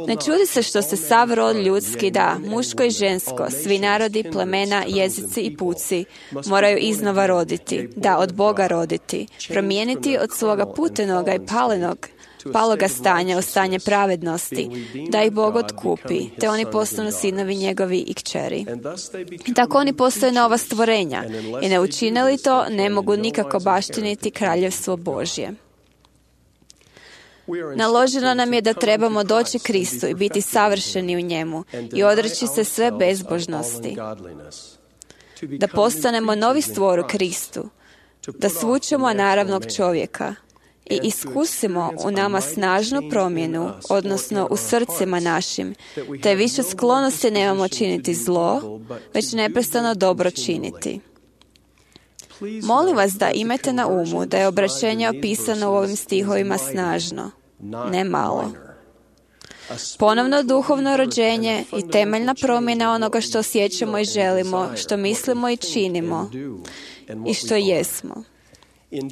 ne čudi se što se sav rod ljudski, da, muško i žensko, svi narodi, plemena, jezici i puci moraju iznova roditi, da, od Boga roditi, promijeniti od svoga putenoga i palenog paloga stanja u stanje pravednosti, da ih Bog otkupi, te oni postanu sinovi njegovi i kćeri. I tako oni postaju nova stvorenja i ne učine li to, ne mogu nikako baštiniti kraljevstvo Božje. Naloženo nam je da trebamo doći Kristu i biti savršeni u njemu i odreći se sve bezbožnosti. Da postanemo novi stvor u Kristu, da svučemo naravnog čovjeka i iskusimo u nama snažnu promjenu, odnosno u srcima našim, te više sklonosti nemamo činiti zlo, već neprestano dobro činiti. Molim vas da imate na umu da je obraćenje opisano u ovim stihovima snažno, ne malo. Ponovno duhovno rođenje i temeljna promjena onoga što osjećamo i želimo, što mislimo i činimo i što jesmo.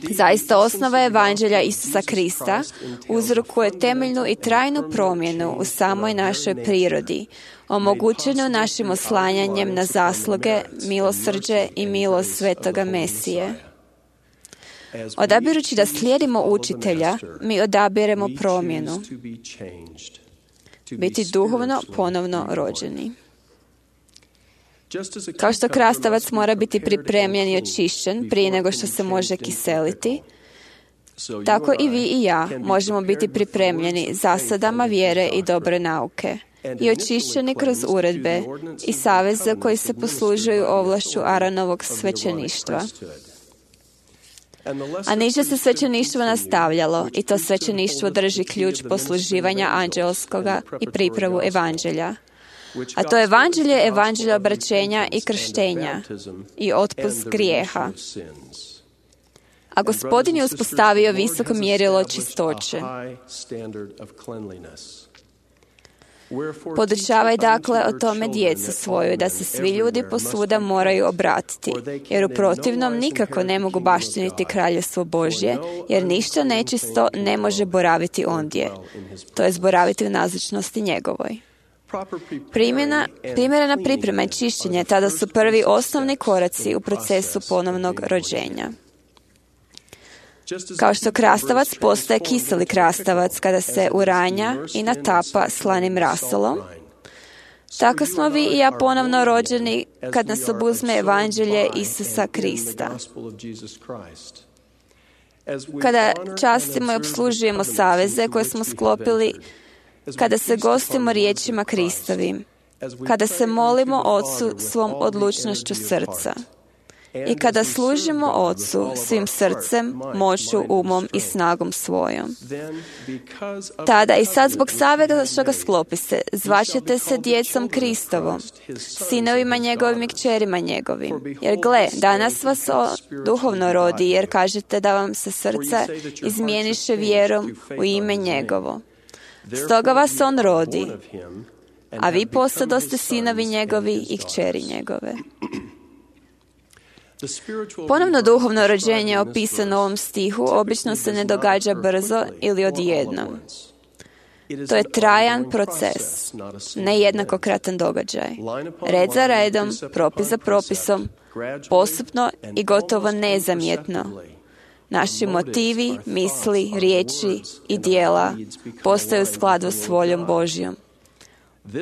Zaista osnova evanđelja Isusa Krista uzrokuje temeljnu i trajnu promjenu u samoj našoj prirodi, omogućenu našim oslanjanjem na zasluge, milosrđe i milost svetoga Mesije. Odabirući da slijedimo učitelja, mi odabiremo promjenu. Biti duhovno ponovno rođeni. Kao što krastavac mora biti pripremljen i očišćen prije nego što se može kiseliti, tako i vi i ja možemo biti pripremljeni zasadama vjere i dobre nauke i očišćeni kroz uredbe i saveze koji se poslužuju ovlašću Aaronovog svećeništva. A niže se svećeništvo nastavljalo i to svećeništvo drži ključ posluživanja anđelskoga i pripravu evanđelja. A to evanđelje je evanđelje obraćenja i krštenja i otpust grijeha. A Gospodin je uspostavio visoko mjerilo čistoće. Podučavaj dakle o tome djecu svoju, da se svi ljudi posvuda moraju obratiti, jer u protivnom nikako ne mogu baštiniti kraljevstvo Božje, jer ništa nečisto ne može boraviti ondje, to je boraviti u nazočnosti njegovoj. Primjena, primjerena priprema i čišćenje tada su prvi osnovni koraci u procesu ponovnog rođenja. Kao što krastavac postaje kiseli krastavac kada se uranja i natapa slanim rasolom, tako smo vi i ja ponovno rođeni kad nas obuzme evanđelje Isusa Krista. Kada častimo i obslužujemo saveze koje smo sklopili, kada se gostimo riječima Kristovim, kada se molimo Otcu svom odlučnošću srca i kada služimo Ocu svim srcem, moću, umom i snagom svojom. Tada i sad zbog svega što ga sklopiste, zvaćete se djecom Kristovom, sinovima njegovim i kćerima njegovim. Jer gle, danas vas o duhovno rodi, jer kažete da vam se srca izmijeniše vjerom u ime njegovo. Stoga vas on rodi, a vi postadoste sinovi njegovi i kćeri njegove. Ponovno duhovno rođenje opisano u ovom stihu obično se ne događa brzo ili odjednom. To je trajan proces, ne jednakokratan događaj. Red za redom, propis za propisom, postupno i gotovo nezamjetno. Naši motivi, misli, riječi i dijela postaju u skladu s voljom Božjom.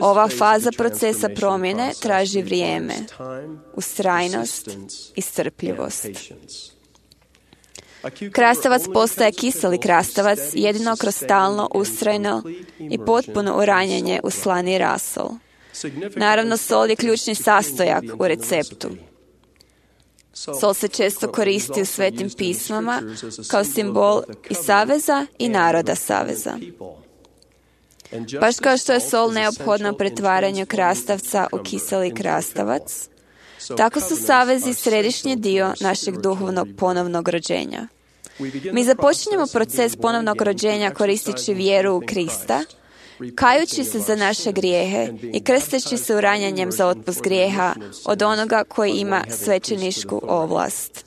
Ova faza procesa promjene traži vrijeme, ustrajnost i strpljivost. Krastavac postaje kiseli krastavac jedino kroz stalno, ustrajno i potpuno uranjanje u slani rasol. Naravno, sol je ključni sastojak u receptu. Sol se često koristi u svetim pismama kao simbol i saveza i naroda saveza. Baš kao što je sol neophodna u pretvaranju krastavca u kiseli krastavac, tako su savezi središnji dio našeg duhovnog ponovnog rođenja. Mi započinjemo proces ponovnog rođenja koristeći vjeru u Krista, kajući se za naše grijehe i krsteći se uranjanjem za otpust grijeha od onoga koji ima svećenišku ovlast.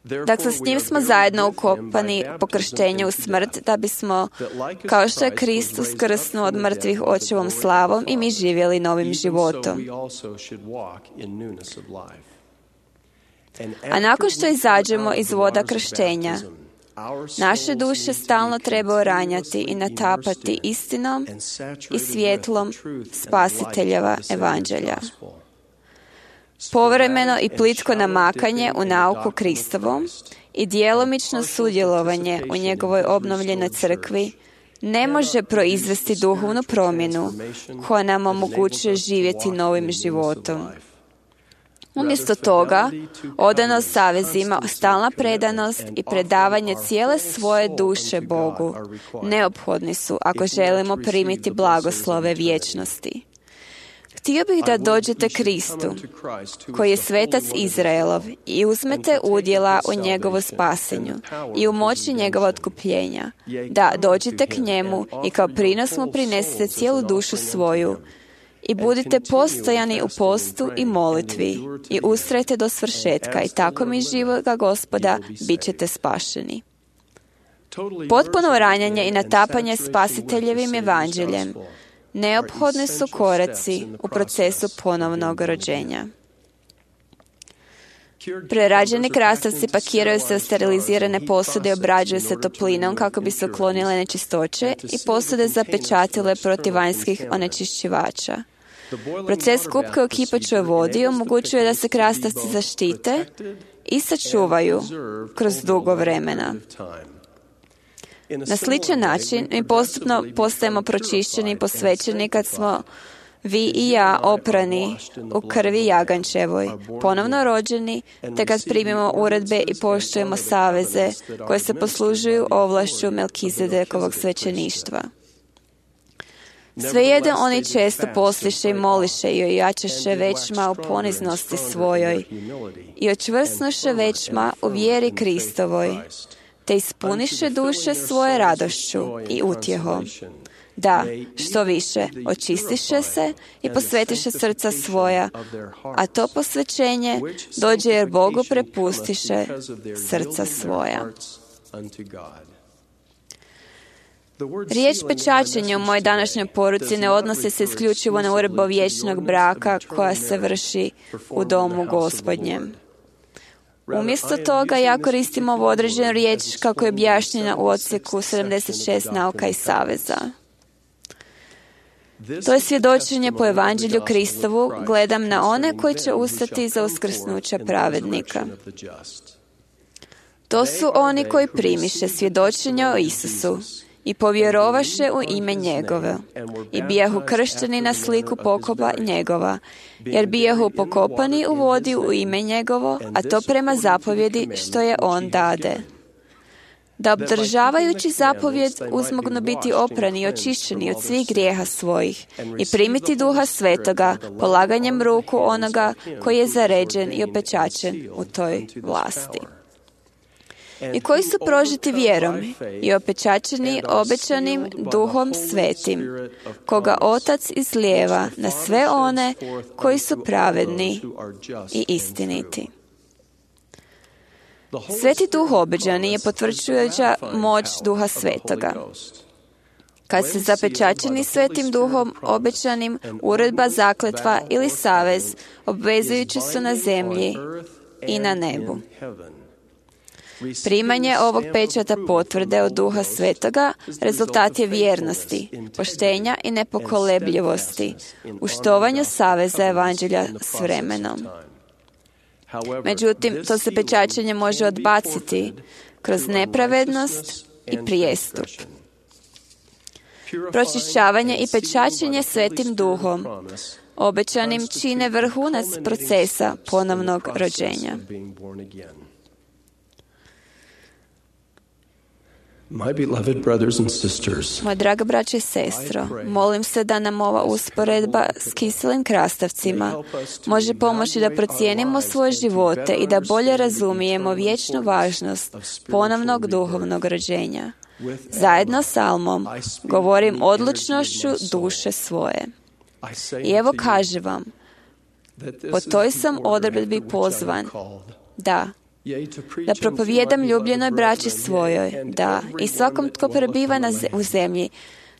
Dakle, s njim smo zajedno ukopani po krštenju u smrt, da bismo, kao što je Krist uskrsnuo od mrtvih očevom slavom, i mi živjeli novim životom. A nakon što izađemo iz voda krštenja, naše duše stalno treba uranjati i natapati istinom i svjetlom Spasiteljeva evanđelja. Povremeno i plitko namakanje u nauku Kristovom i djelomično sudjelovanje u njegovoj obnovljenoj crkvi ne može proizvesti duhovnu promjenu koja nam omogućuje živjeti novim životom. Umjesto toga, odanost savezima, stalna predanost i predavanje cijele svoje duše Bogu neophodni su ako želimo primiti blagoslove vječnosti. Htio bih da dođete Kristu, koji je svetac Izraelov, i uzmete udjela u njegovu spasenju i u moći njegova otkupljenja. Da, dođite k njemu i kao prinos mu prinesete cijelu dušu svoju i budite postojani u postu i molitvi i ustrajte do svršetka i tako mi živoga Gospoda bit ćete spašeni. Potpuno ranjanje i natapanje Spasiteljevim evanđeljem neophodni su koraci u procesu ponovnog rođenja. Prerađeni krastavci pakiraju se u sterilizirane posude i obrađuju se toplinom kako bi se uklonile nečistoće i posude zapečatile protiv vanjskih onečišćivača. Proces kupke u kipaćoj vodi omogućuje da se krastavci zaštite i sačuvaju kroz dugo vremena. Na sličan način mi postupno postajemo pročišćeni i posvećeni kad smo vi i ja oprani u krvi jagančevoj, ponovno rođeni, te kad primimo uredbe i poštujemo saveze koje se poslužuju ovlašću Melkizedekovog svećeništva. Svejedno oni često posliše i moliše i ojačaše većma u poniznosti svojoj i očvrsnuše većma u vjeri Kristovoj, te ispuniše duše svoje radošću i utjehom. Da, što više, očistiše se i posvetiše srca svoja, a to posvećenje dođe jer Bogu prepustiše srca svoja. Riječ pečačenje u mojoj današnjoj poruci ne odnosi se isključivo na uredbu vječnog braka koja se vrši u domu Gospodnjem. Umjesto toga ja koristim ovu određenu riječ kako je objašnjena u odsjeku sedamdeset šest nauka i saveza. To je svjedočenje po evanđelju Kristovu, gledam na one koji će ustati za uskrsnuća pravednika. To su oni koji primiše svjedočenje o Isusu i povjerovaše u ime njegovo i bijahu kršteni na sliku pokopa njegova, jer bijahu pokopani u vodi u ime njegovo, a to prema zapovjedi što je on dade. Da obdržavajući zapovjed uzmognu biti oprani i očišćeni od svih grijeha svojih i primiti Duha Svetoga polaganjem ruku onoga koji je zaređen i opečačen u toj vlasti. I koji su prožiti vjerom i opečačeni obećanim Duhom Svetim, koga Otac izlijeva na sve one koji su pravedni i istiniti. Sveti Duh obećani je potvrđujuća moć Duha Svetoga. Kad se zapečačeni Svetim Duhom obećanim, uredba, zakletva ili savez obvezujući su na zemlji i na nebu. Primanje ovog pečata potvrde od Duha Svetoga rezultat je vjernosti, poštenja i nepokolebljivosti u štovanju saveza evanđelja s vremenom. Međutim, to se pečačenje može odbaciti kroz nepravednost i prijestup. Pročišćavanje i pečačenje Svetim Duhom obećanim čine vrhunac procesa ponovnog rođenja. My beloved brothers and sisters, Moja draga braće i sestro, molim se da nam ova usporedba s kiselim krastavcima može pomoći da procijenimo svoje živote i da bolje razumijemo vječnu važnost ponovnog duhovnog rođenja. Zajedno s Almom govorim odlučnošću duše svoje. I evo kaže vam, po toj sam odredbi pozvan, da, da propovijedam ljubljenoj braći svojoj, da, i svakom tko prebiva na ze- u zemlji,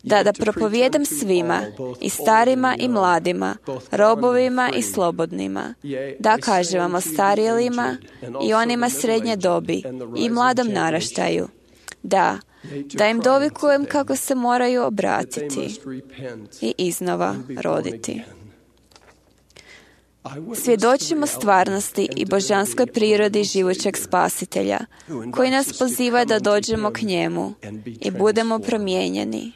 da, da propovijedam svima, i starima i mladima, robovima i slobodnima, da, kaže vam, o starijelima i onima srednje dobi i mladom naraštaju, da, da im dovikujem kako se moraju obratiti i iznova roditi. Svjedočimo stvarnosti i božanskoj prirodi živućeg Spasitelja, koji nas poziva da dođemo k njemu i budemo promijenjeni.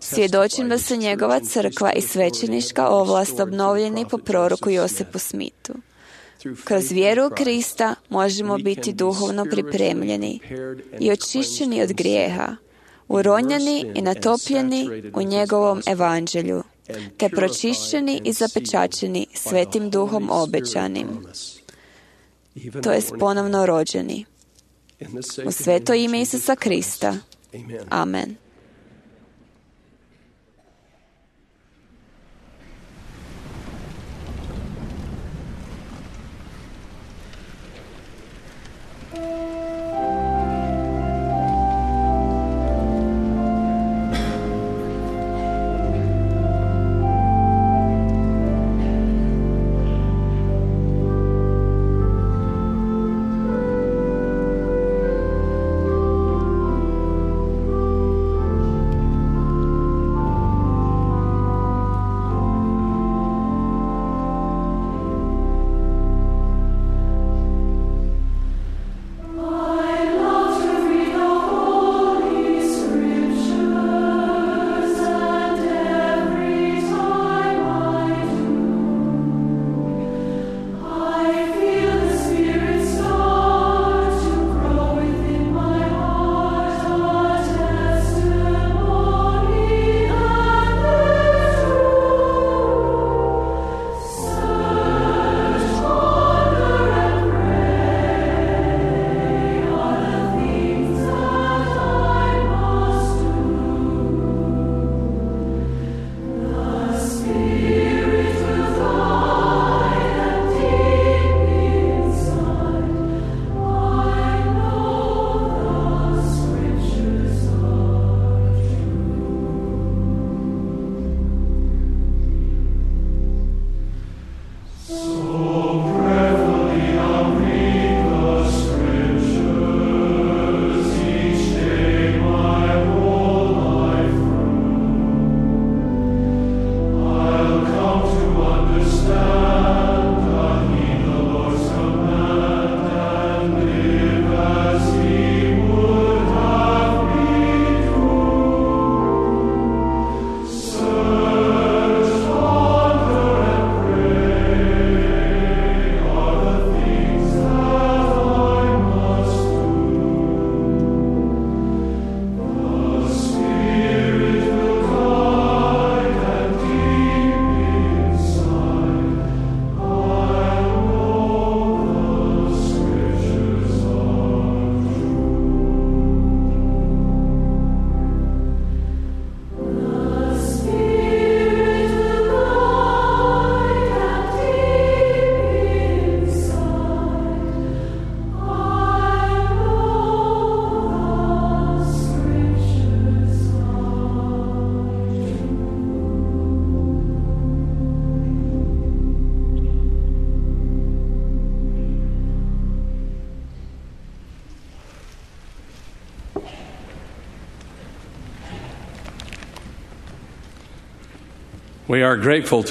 Svjedočim da su njegova crkva i svećenička ovlast obnovljeni po proroku Josipu Smitu. Kroz vjeru u Krista možemo biti duhovno pripremljeni i očišćeni od grijeha, uronjeni i natopljeni u njegovom evanđelju, te pročišćeni i zapečačeni Svetim Duhom obećanim, to jest ponovno rođeni. U sveto ime Isusa Krista. Amen.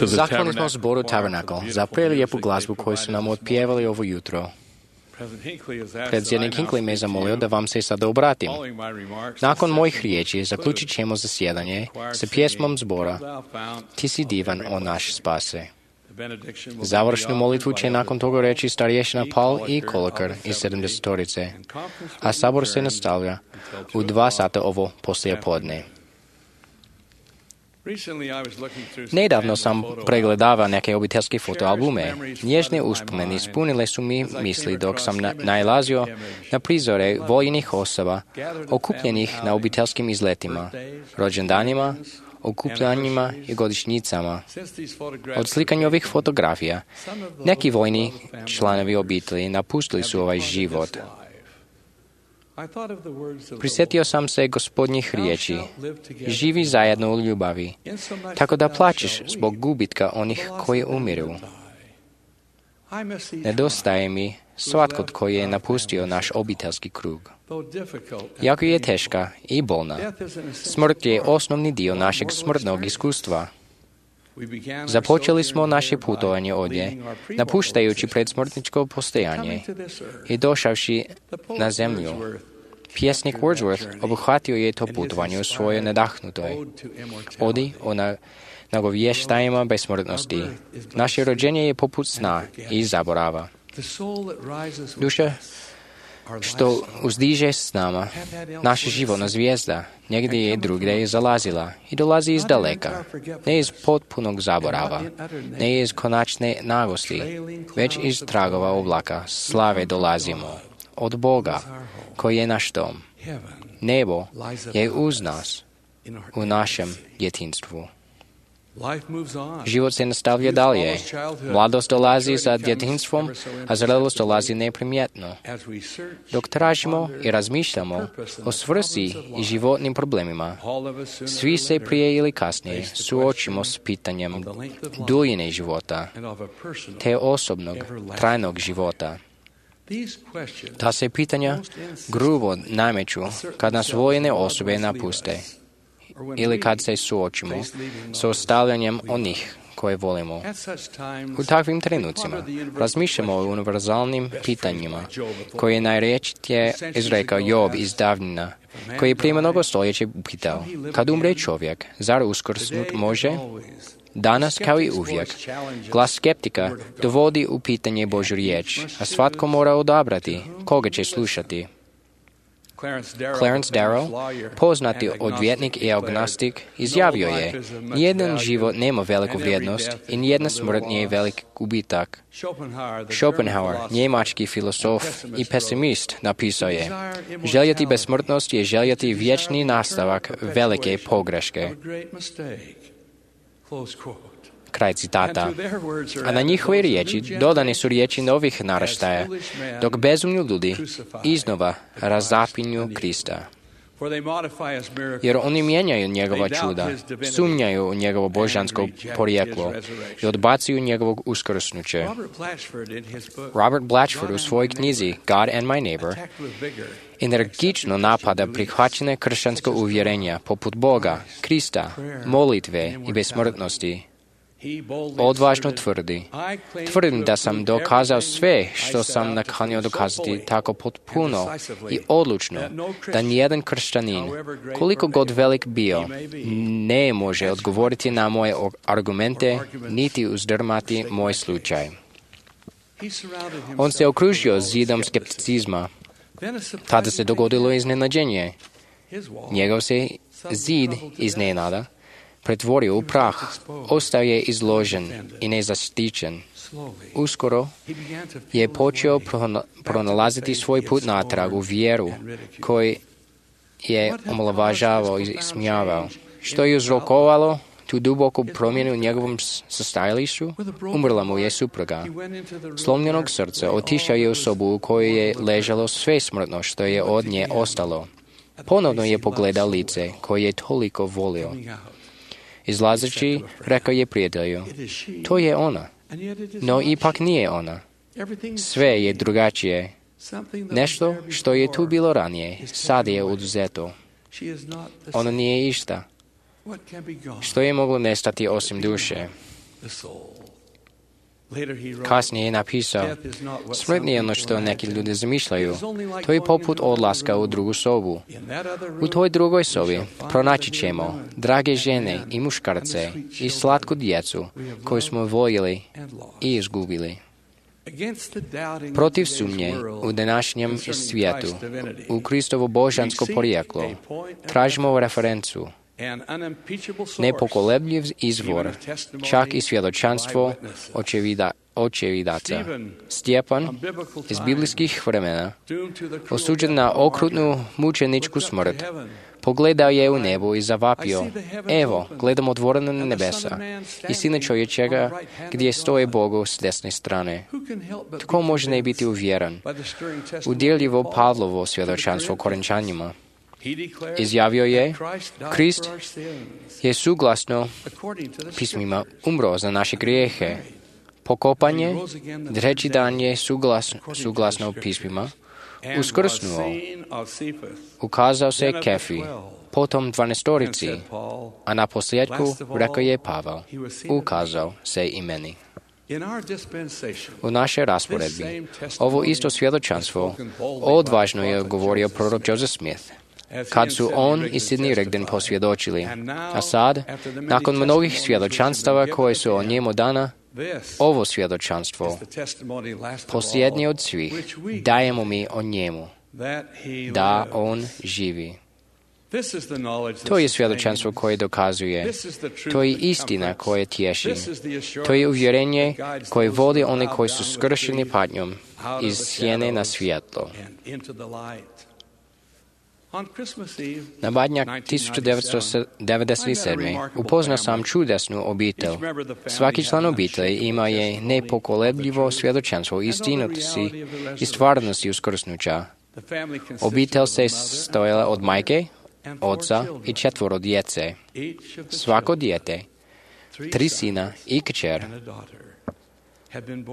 Zahvalni smo zboru Tabernacle za prelijepu glazbu koju su nam otpjevali ovo jutro. Predsjednik Hinckley me zamolio da vam se sada obratim. Nakon mojih riječi zaključit ćemo zasjedanje sa pjesmom zbora Ti si divan, o naš spase. Završnu molitvu će nakon toga reći starješina Paul i Kolekar iz sedamdesetorice, a sabor se nastavlja u dva sata ovo poslijepodne. Nedavno sam pregledavao neke obiteljske fotoalbume. Nježne uspomene ispunile su mi misli dok sam na, nailazio na prizore vojnih osoba okupljenih na obiteljskim izletima, rođendanima, okupljanjima i godišnjicama. Od slikanja ovih fotografija, neki vojni članovi obitelji napustili su ovaj život. Prisjetio sam se Gospodnjih riječi, živi zajedno u ljubavi, tako da plačeš zbog gubitka onih koji umiru. Nedostaje mi svatko koji je napustio naš obiteljski krug. Jako je teška i bolna, smrt je osnovni dio našeg smrtnog iskustva. Započeli smo naše putovanje ovdje, napuštajući predsmrtničko postojanje i došavši na zemlju. Pjesnik Wordsworth obuhvatio je to putovanje u svojoj nadahnutoj odi o na, nagovještajima besmrtnosti. Naše rođenje je poput sna i zaborava. Duša što uzdiže s nama, naša životna zvijezda negdje je drugdje zalazila i dolazi iz daleka, ne iz potpunog zaborava, ne iz konačne nagosti, već iz tragova oblaka slave dolazimo od Boga, koji je naš dom. Nebo je uz nas u našem djetinjstvu. Život se nastavlja dalje. Mladost dolazi za djetinjstvom, a zrelost dolazi neprimjetno. Dok tražimo i razmišljamo o svrsi i životnim problemima, svi se prije ili kasnije suočimo s pitanjem duljine života, te osobnog, trajnog života. Ta se pitanja grubo nameću kad nas voljene osobe napuste ili kad se suočimo s ostavljanjem onih koje volimo. U takvim trenucima razmišljamo o univerzalnim pitanjima koje je najrječitije izrekao Job iz davnina, koji je prije mnogo stoljeća upitao: kad umre čovjek, zar uskrsnut može? Danas, kao i uvijek, glas skeptika dovodi u pitanje Božju riječ, a svatko mora odabrati koga će slušati. Clarence Darrow, poznati odvjetnik i agnostik, izjavio je: nijedan život nema veliku vrijednost i nijedna smrt nije velik gubitak. Schopenhauer, njemački filozof i pesimist, napisao je: željeti besmrtnost je željeti vječni nastavak velike pogreške. Kraj citata. A na njihove riječi dodane su riječi novih naraštaja, dok bezumni ljudi iznova razapinju Krista. Jer oni mijenjaju njegova čuda, sumnjaju u njegovo božansko porijeklo i odbacuju njegovog uskrsnuće. Robert Blatchford u svojoj knjizi God and My Neighbor energično napada prihvaćene kršćansko uvjerenja poput Boga, Krista, molitve i besmrtnosti. Odvažno tvrdi: tvrdim da sam dokazao sve što sam nakanio dokazati tako potpuno i odlučno da nijedan kršćanin, koliko god velik bio, ne može odgovoriti na moje argumente niti uzdrmati moj slučaj. On se okružio zidom skepticizma. Tada se dogodilo iznenađenje. Njegov se zid iznenada pretvorio u prah, ostao je izložen i nezaštićen. Uskoro je počeo pronalaziti svoj put natrag u vjeru koji je omalovažavao i smijavao. Što je uzrokovalo tu duboku promjenu u njegovom stajalištu? Umrla mu je supruga. Slomljenog srca otišao je u sobu u kojoj je ležalo sve smrtno što je od nje ostalo. Ponovno je pogledao lice koje je toliko volio. Izlazeći, rekao je prijatelju: to je ona. No ipak nije ona. Sve je drugačije. Nešto što je tu bilo ranije, sad je oduzeto. Ona nije išta. Što je moglo nestati osim duše? Kasnije je napisao, smrt nije ono što neki ljudi zamišljaju. To je poput odlaska u drugu sobu. U toj drugoj sobi pronaći ćemo drage žene i muškarce i slatku djecu koju smo voljeli i izgubili. Protiv sumnje u današnjem svijetu, u Kristovo božansko porijeklo, tražimo referencu, nepokolebljiv izvor, čak i svjedočanstvo očevida, očevidaca. Stjepan iz biblijskih vremena, osuđen na okrutnu mučeničku smrt, pogledao je u nebo i zavapio, evo, gledam otvorena nebesa i Sina čovječega gdje stoje Bogu s desne strane. Tko može ne biti uvjeren? Udjeljivo Pavlovo svjedočanstvo Korinčanima. Izjavio je, Krist je suglasno pismima umro za naše grijehe. Pokopanje, treći dan je suglasno, suglasno pismima, uskrsnuo, ukazao se Kefi, potom dvanaestorici, a na posljedku rekao je Pavel, ukazao se i meni. U našoj rasporedbi ovo isto svjedočanstvo odvažno je govorio prorok Joseph Smith, kad su on i Sidney Rigdon posvjedočili. A sad, nakon mnogih svjedočanstava koje su o njemu dana, ovo svjedočanstvo, posljednje od svih, dajemo mi o njemu, da on živi. To je svjedočanstvo koje dokazuje, to je istina koja tješi, to je uvjerenje koje vodi one koji su skršeni patnjom iz sjene na svjetlo. Na Badnjak tisuću devetsto devedeset sedam. upoznao sam čudesnu obitelj. Svaki član obitelji ima je nepokolebljivo svjedočanstvo istinosti i stvarnosti uskrsnuća. Obitelj se stojala od majke, oca i četvoro djece. Svako dijete, tri sina i kćer,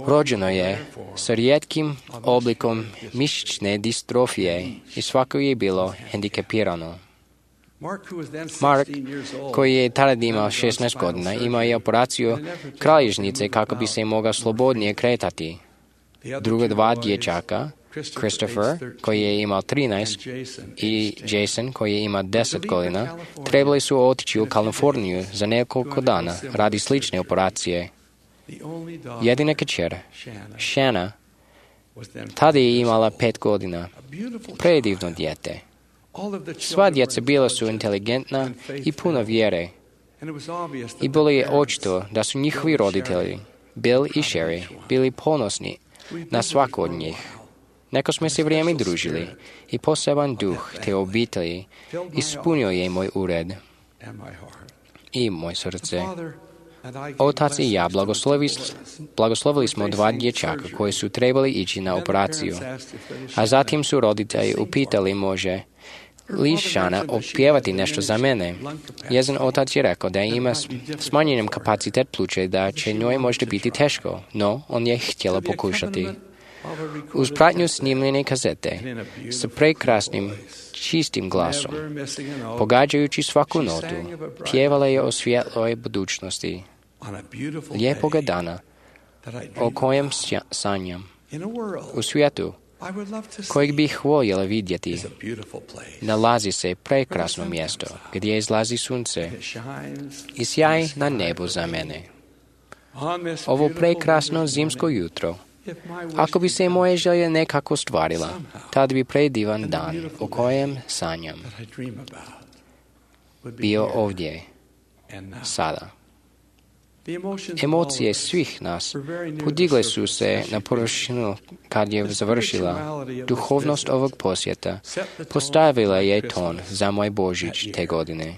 rođeno je sa rijetkim oblikom mišićne distrofije i svako je bilo hendikepirano. Mark, koji je tada imao šesnaest godina, imao je operaciju kralježnice kako bi se mogao slobodnije kretati. Druga dva dječaka, Christopher, koji je imao trinaest, i Jason, koji je imao deset godina, trebali su otići u Kaliforniju za nekoliko dana radi slične operacije. Jedina kćer, Shanna, tada je imala pet godina, predivno dijete. Sva djeca bila su inteligentna i puna vjere. I bilo je očito da su njihovi roditelji, Bill i Sherry, bili ponosni na svako od njih. Neko smo se vrijeme družili i poseban duh te obitelji ispunio je moj ured i moj srce. Otac i ja blagoslovili, blagoslovili smo dva dječaka koji su trebali ići na operaciju, a zatim su roditelji upitali može li Shana opjevati nešto za mene. Jedan otac je rekao da ima smanjenjem kapacitet pluća i da će njoj možda biti teško, no on je htjela pokušati. Uz pratnju snimljene kazete, sa prekrasnim, čistim glasom, pogađajući svaku notu, pjevala je o svjetloj budućnosti, lijepoga dana, o kojem sanjam, u svijetu, kojeg bih voljela vidjeti. Nalazi se prekrasno mjesto, gdje izlazi sunce i sjaj na nebu za mene. Ovo prekrasno zimsko jutro, ako bi se moje želje nekako stvarila, tad bi predivan dan o kojem sanjam bio ovdje, sada. Emocije svih nas podigle su se na površinu kad je završila. Duhovnost ovog posjeta postavila je ton za moj Božić te godine.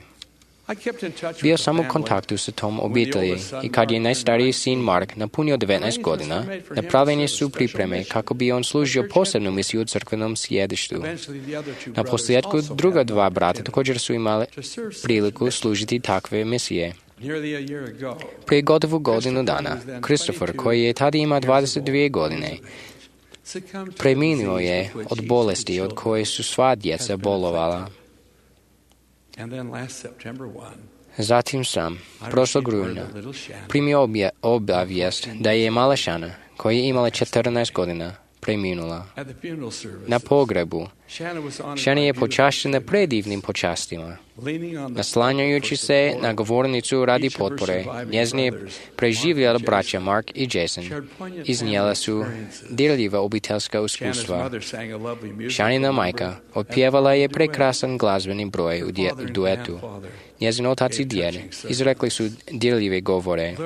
Bio sam u kontaktu sa tom obitelji i kad je najstariji sin Mark napunio devetnaest godina, napravljene su pripreme kako bi on služio posebnu misiju u crkvenom sjedištu. Na posljedku druga dva brata također su imali priliku služiti takve misije. Prije gotovo godinu dana, Christopher, koji je tada imao dvadeset dvije godine, preminuo je od bolesti od koje su sva djeca bolovala. Zatim sam, prošlog rujna, primio obje, obavijest da je mala Shana, koja je imala četrnaest godina, preminula. Na pogrebu, Shana je počašćena predivnim počastima. Naslanjajući se na govornicu radi potpore, njezini preživjeli braća Mark i Jason iznijela su dirljiva obiteljska iskustva. Shanina majka otpjevala je prekrasan glazbeni broj u duetu. Njezin otac i djed izrekli su dirljive govore.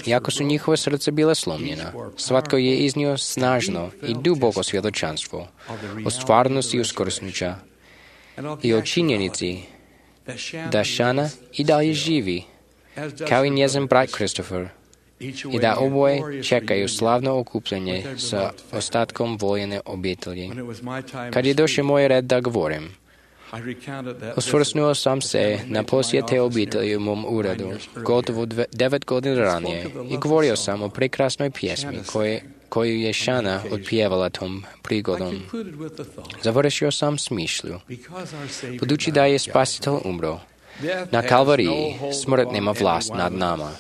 Iako su njihova srca bila slomljena, svatko je iznio snažno i duboko svjedočanstvo o stvarnosti uskrsnuća i o činjenici da Shana i dalje živi, kao i njezin brat Christopher, i da oboje čekaju slavno okupljenje sa ostatkom voljene obitelji. Kad je došao moj red da govorim, osvrnuo sam se na posjete obitelji u mom uredu gotovo dve, devet godina ranije i govorio sam o prekrasnoj pjesmi koje, koju je Shana otpjevala tom prigodom. Završio sam s mišlju. Budući da je Spasitelj umro, na Kalvariji smrt nema vlast nad nama.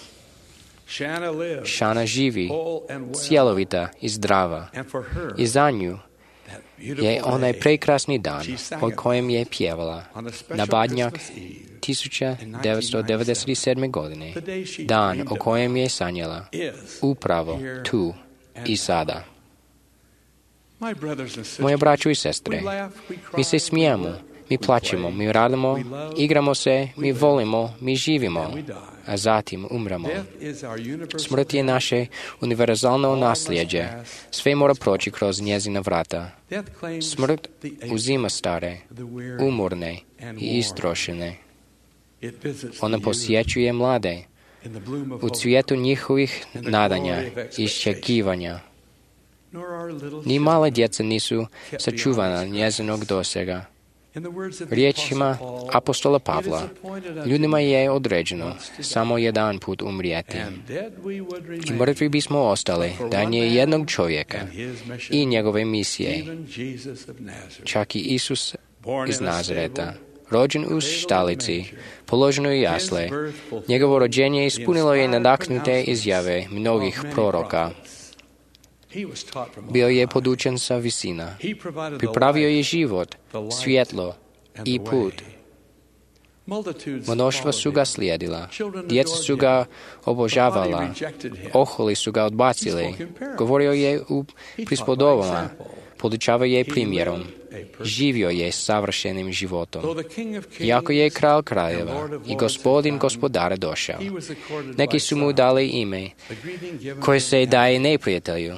Shana živi, cjelovita i zdrava, i za nju je onaj prekrasni dan o kojem je pjevala na Badnjak tisuća devetsto devedeset sedme. godine, dan o kojem je sanjala, upravo tu i sada. Moje braćo i sestre, mi se smijemo, mi plaćemo, mi radimo, igramo se, mi volimo, mi živimo, a zatim umremo. Smrt je naše univerzalno nasljeđe. Sve mora proći kroz njezina vrata. Smrt uzima stare, umorne i istrošene. Ona posjećuje mlade u cvijetu njihovih nadanja i iščekivanja. Ni male djeca nisu sačuvana njezinog dosega. Riječima apostola Pavla, ljudima je određeno samo jedan put umrijeti. I mrtvi bismo ostali da je jednog čovjeka i njegove misije, čak i Isus iz Nazareta, rođen u štalici, položen u jasle. Njegovo rođenje ispunilo je nadahnute izjave mnogih proroka. Bio je podučen sa visina. Pripravio je život, svjetlo i put. Mnoštva su ga slijedila. Djeca su ga obožavala. Oholi su ga odbacili. Govorio je u prispodobama. Podučava je primjerom. Živio je savršenim životom. Iako je kralj kraljeva i gospodin gospodara došao, neki su mu dali ime koje se daje neprijatelju,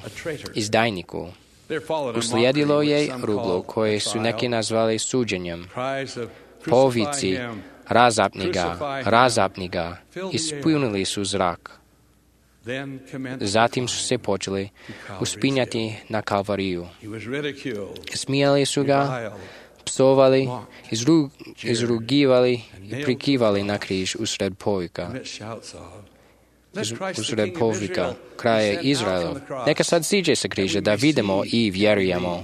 izdajniku. Uslijedilo je ruglo koje su neki nazvali suđenjem. Povici, razapni ga, razapni ga, ispunili su zrak. Zatim su se počeli uspinjati na Kalvariju. Smijali su ga, psovali, izru, izrugivali i prikivali na križ usred povika. Usred povika kraja Izraela. Neka sad siđe sa križa da vidimo i vjerujemo.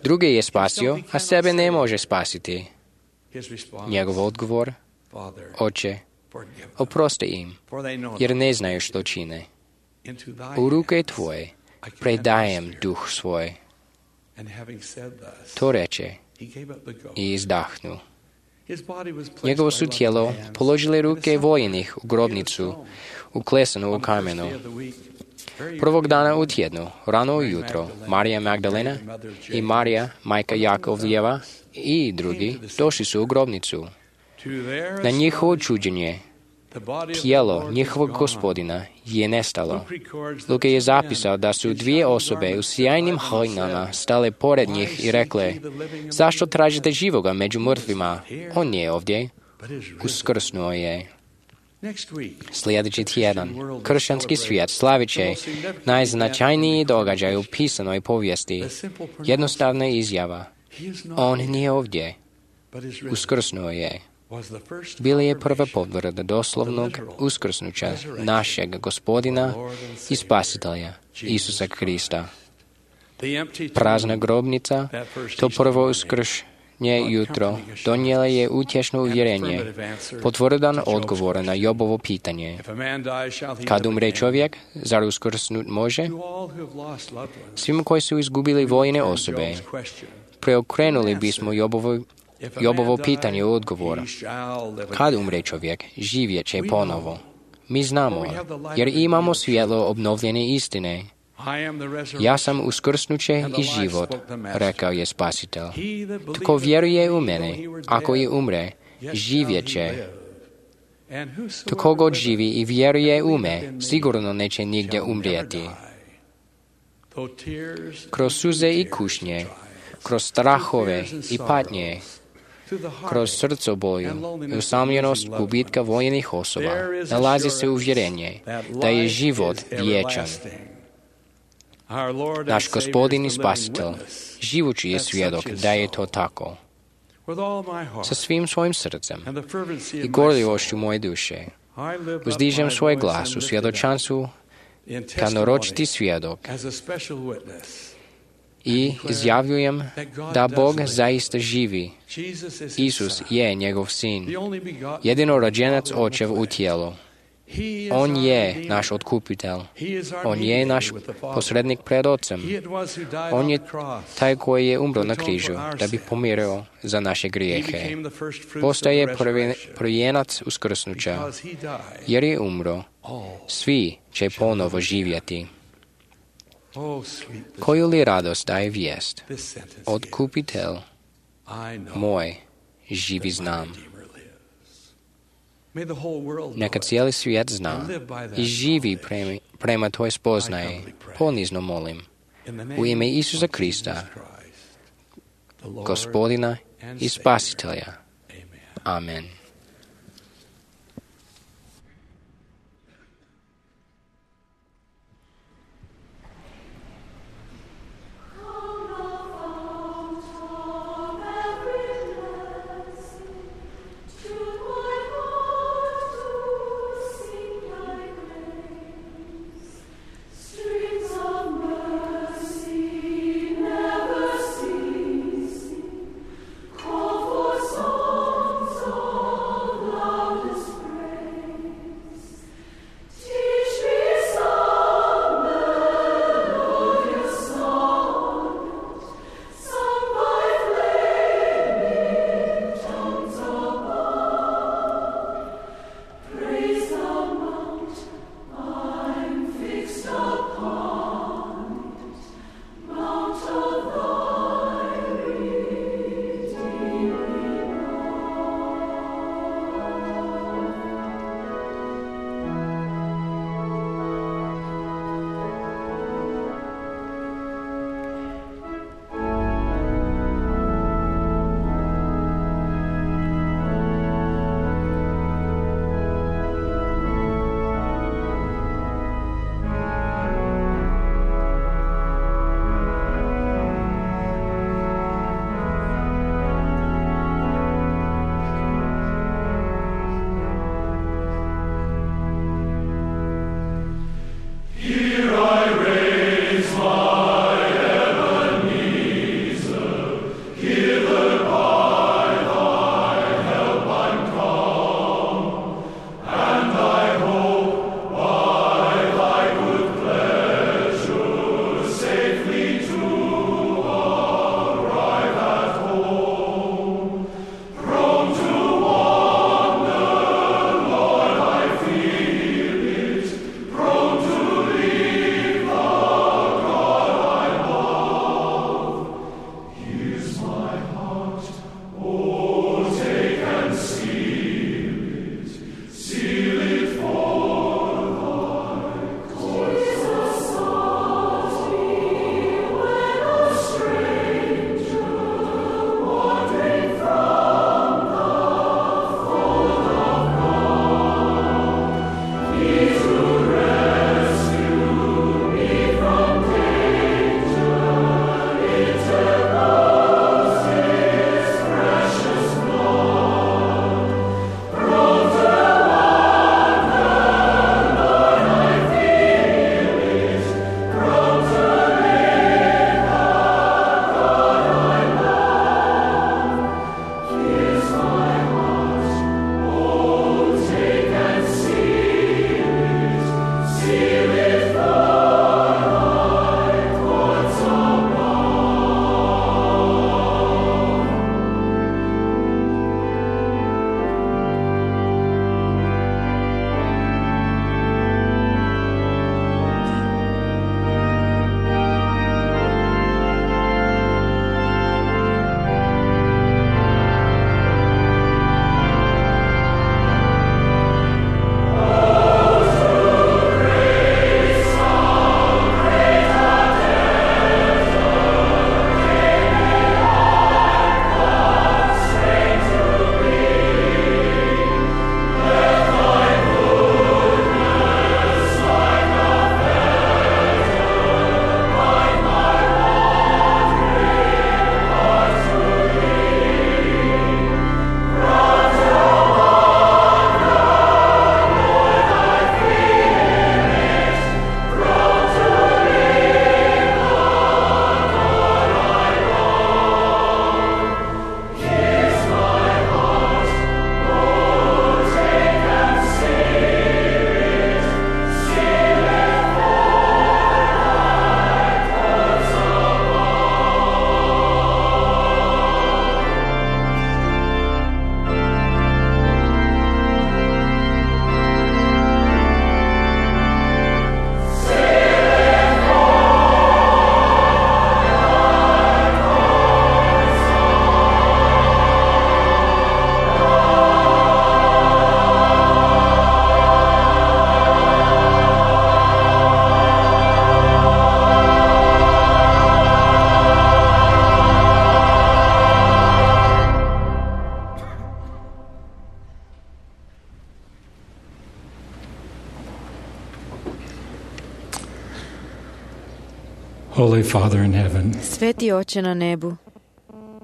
Druge je spasio, a sebe ne može spasiti. Njegov odgovor, Oče, oprosti im, jer ne znaju što čine. U ruke tvoje predajem duh svoj. To reče i izdahnu. Njegovo su tijelo položile ruke vojenih u grobnicu, uklesanu u kamenu. Prvog dana u tjednu, rano ujutro, Marija Magdalena i Marija, majka Jakovljeva i drugi došli su u grobnicu. Na njihovo čuđenje, tijelo njihovog gospodina je nestalo. Luka je zapisao da su dvije osobe u sjajnim haljinama stale pored njih i rekle, zašto tražite živoga među mrtvima? On je ovdje. Uskrsnuo je. Sljedeći tjedan, kršćanski svijet slavit će najznačajniji događaj u pisanoj povijesti. Jednostavna izjava. On nije ovdje. Uskrsnuo je. Bila je prva potvrda doslovnog uskrsnuća našeg Gospodina i Spasitelja, Isusa Krista. Prazna grobnica, to prvo uskršnjenje nje jutro donijela je utješno uvjerenje, potvrdan odgovor na Jobovo pitanje. Kad umre čovjek, zar uskrsnut može? Svima koji su izgubili voljene osobe, preokrenuli bismo Jobovo, Jobovo pitanje u odgovor. Kad umre čovjek, živjet će ponovo. Mi znamo, jer imamo svjetlo obnovljene istine. Ja sam uskrsnuće i život, rekao je Spasitelj. Tko vjeruje u mene, ako i umre, živjet će. Tko god živi i vjeruje u me, sigurno neće nigdje umrijeti. Kroz suze i kušnje, kroz strahove i patnje, kroz srcoboju i usamljenost gubitka voljnih osoba, nalazi se uvjerenje da je život vječan. Naš Gospodin i Spasitelj, živući je svjedok da je to tako. Sa svim svojim srcem i gorljivošću moje duše, uzdižem svoj glas u svjedočanstvu kao naročiti svjedok i izjavljujem da Bog zaista živi. Isus je njegov sin, jedino rođenac očev u tijelu. On je naš otkupitelj. On je naš posrednik pred Otcem. On je taj koji je umro na križu da bi pomirio za naše grijehe. Postaje prvi, prvijenac uskrsnuća. Jer je umro, svi će ponovo živjeti. Koju li radost daje vijest? Otkupitelj moj živi znam. Neka cijeli svijet zna i živi prema, prema toj spoznaje, ponizno molim, u ime Isusa Krista, Gospodina i Spasitelja. Amen. Call for songs of Holy Father in heaven, Sveti Oče na nebu,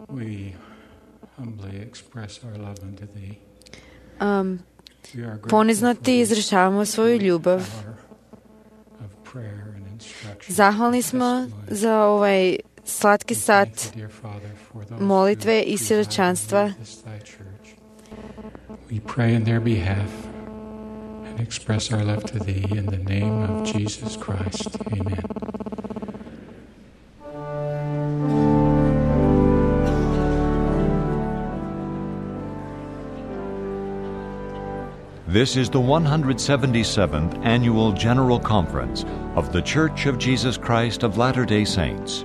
we humbly express our love unto thee. um, ponizno ti izražavamo svoju ljubav. Zahvalni smo za ovaj slatki sat molitve i svjedočanstva. We pray in their behalf and express our love to thee in the name of Jesus Christ. Amen. This is the one hundred seventy-seventh Annual General Conference of The Church of Jesus Christ of Latter-day Saints.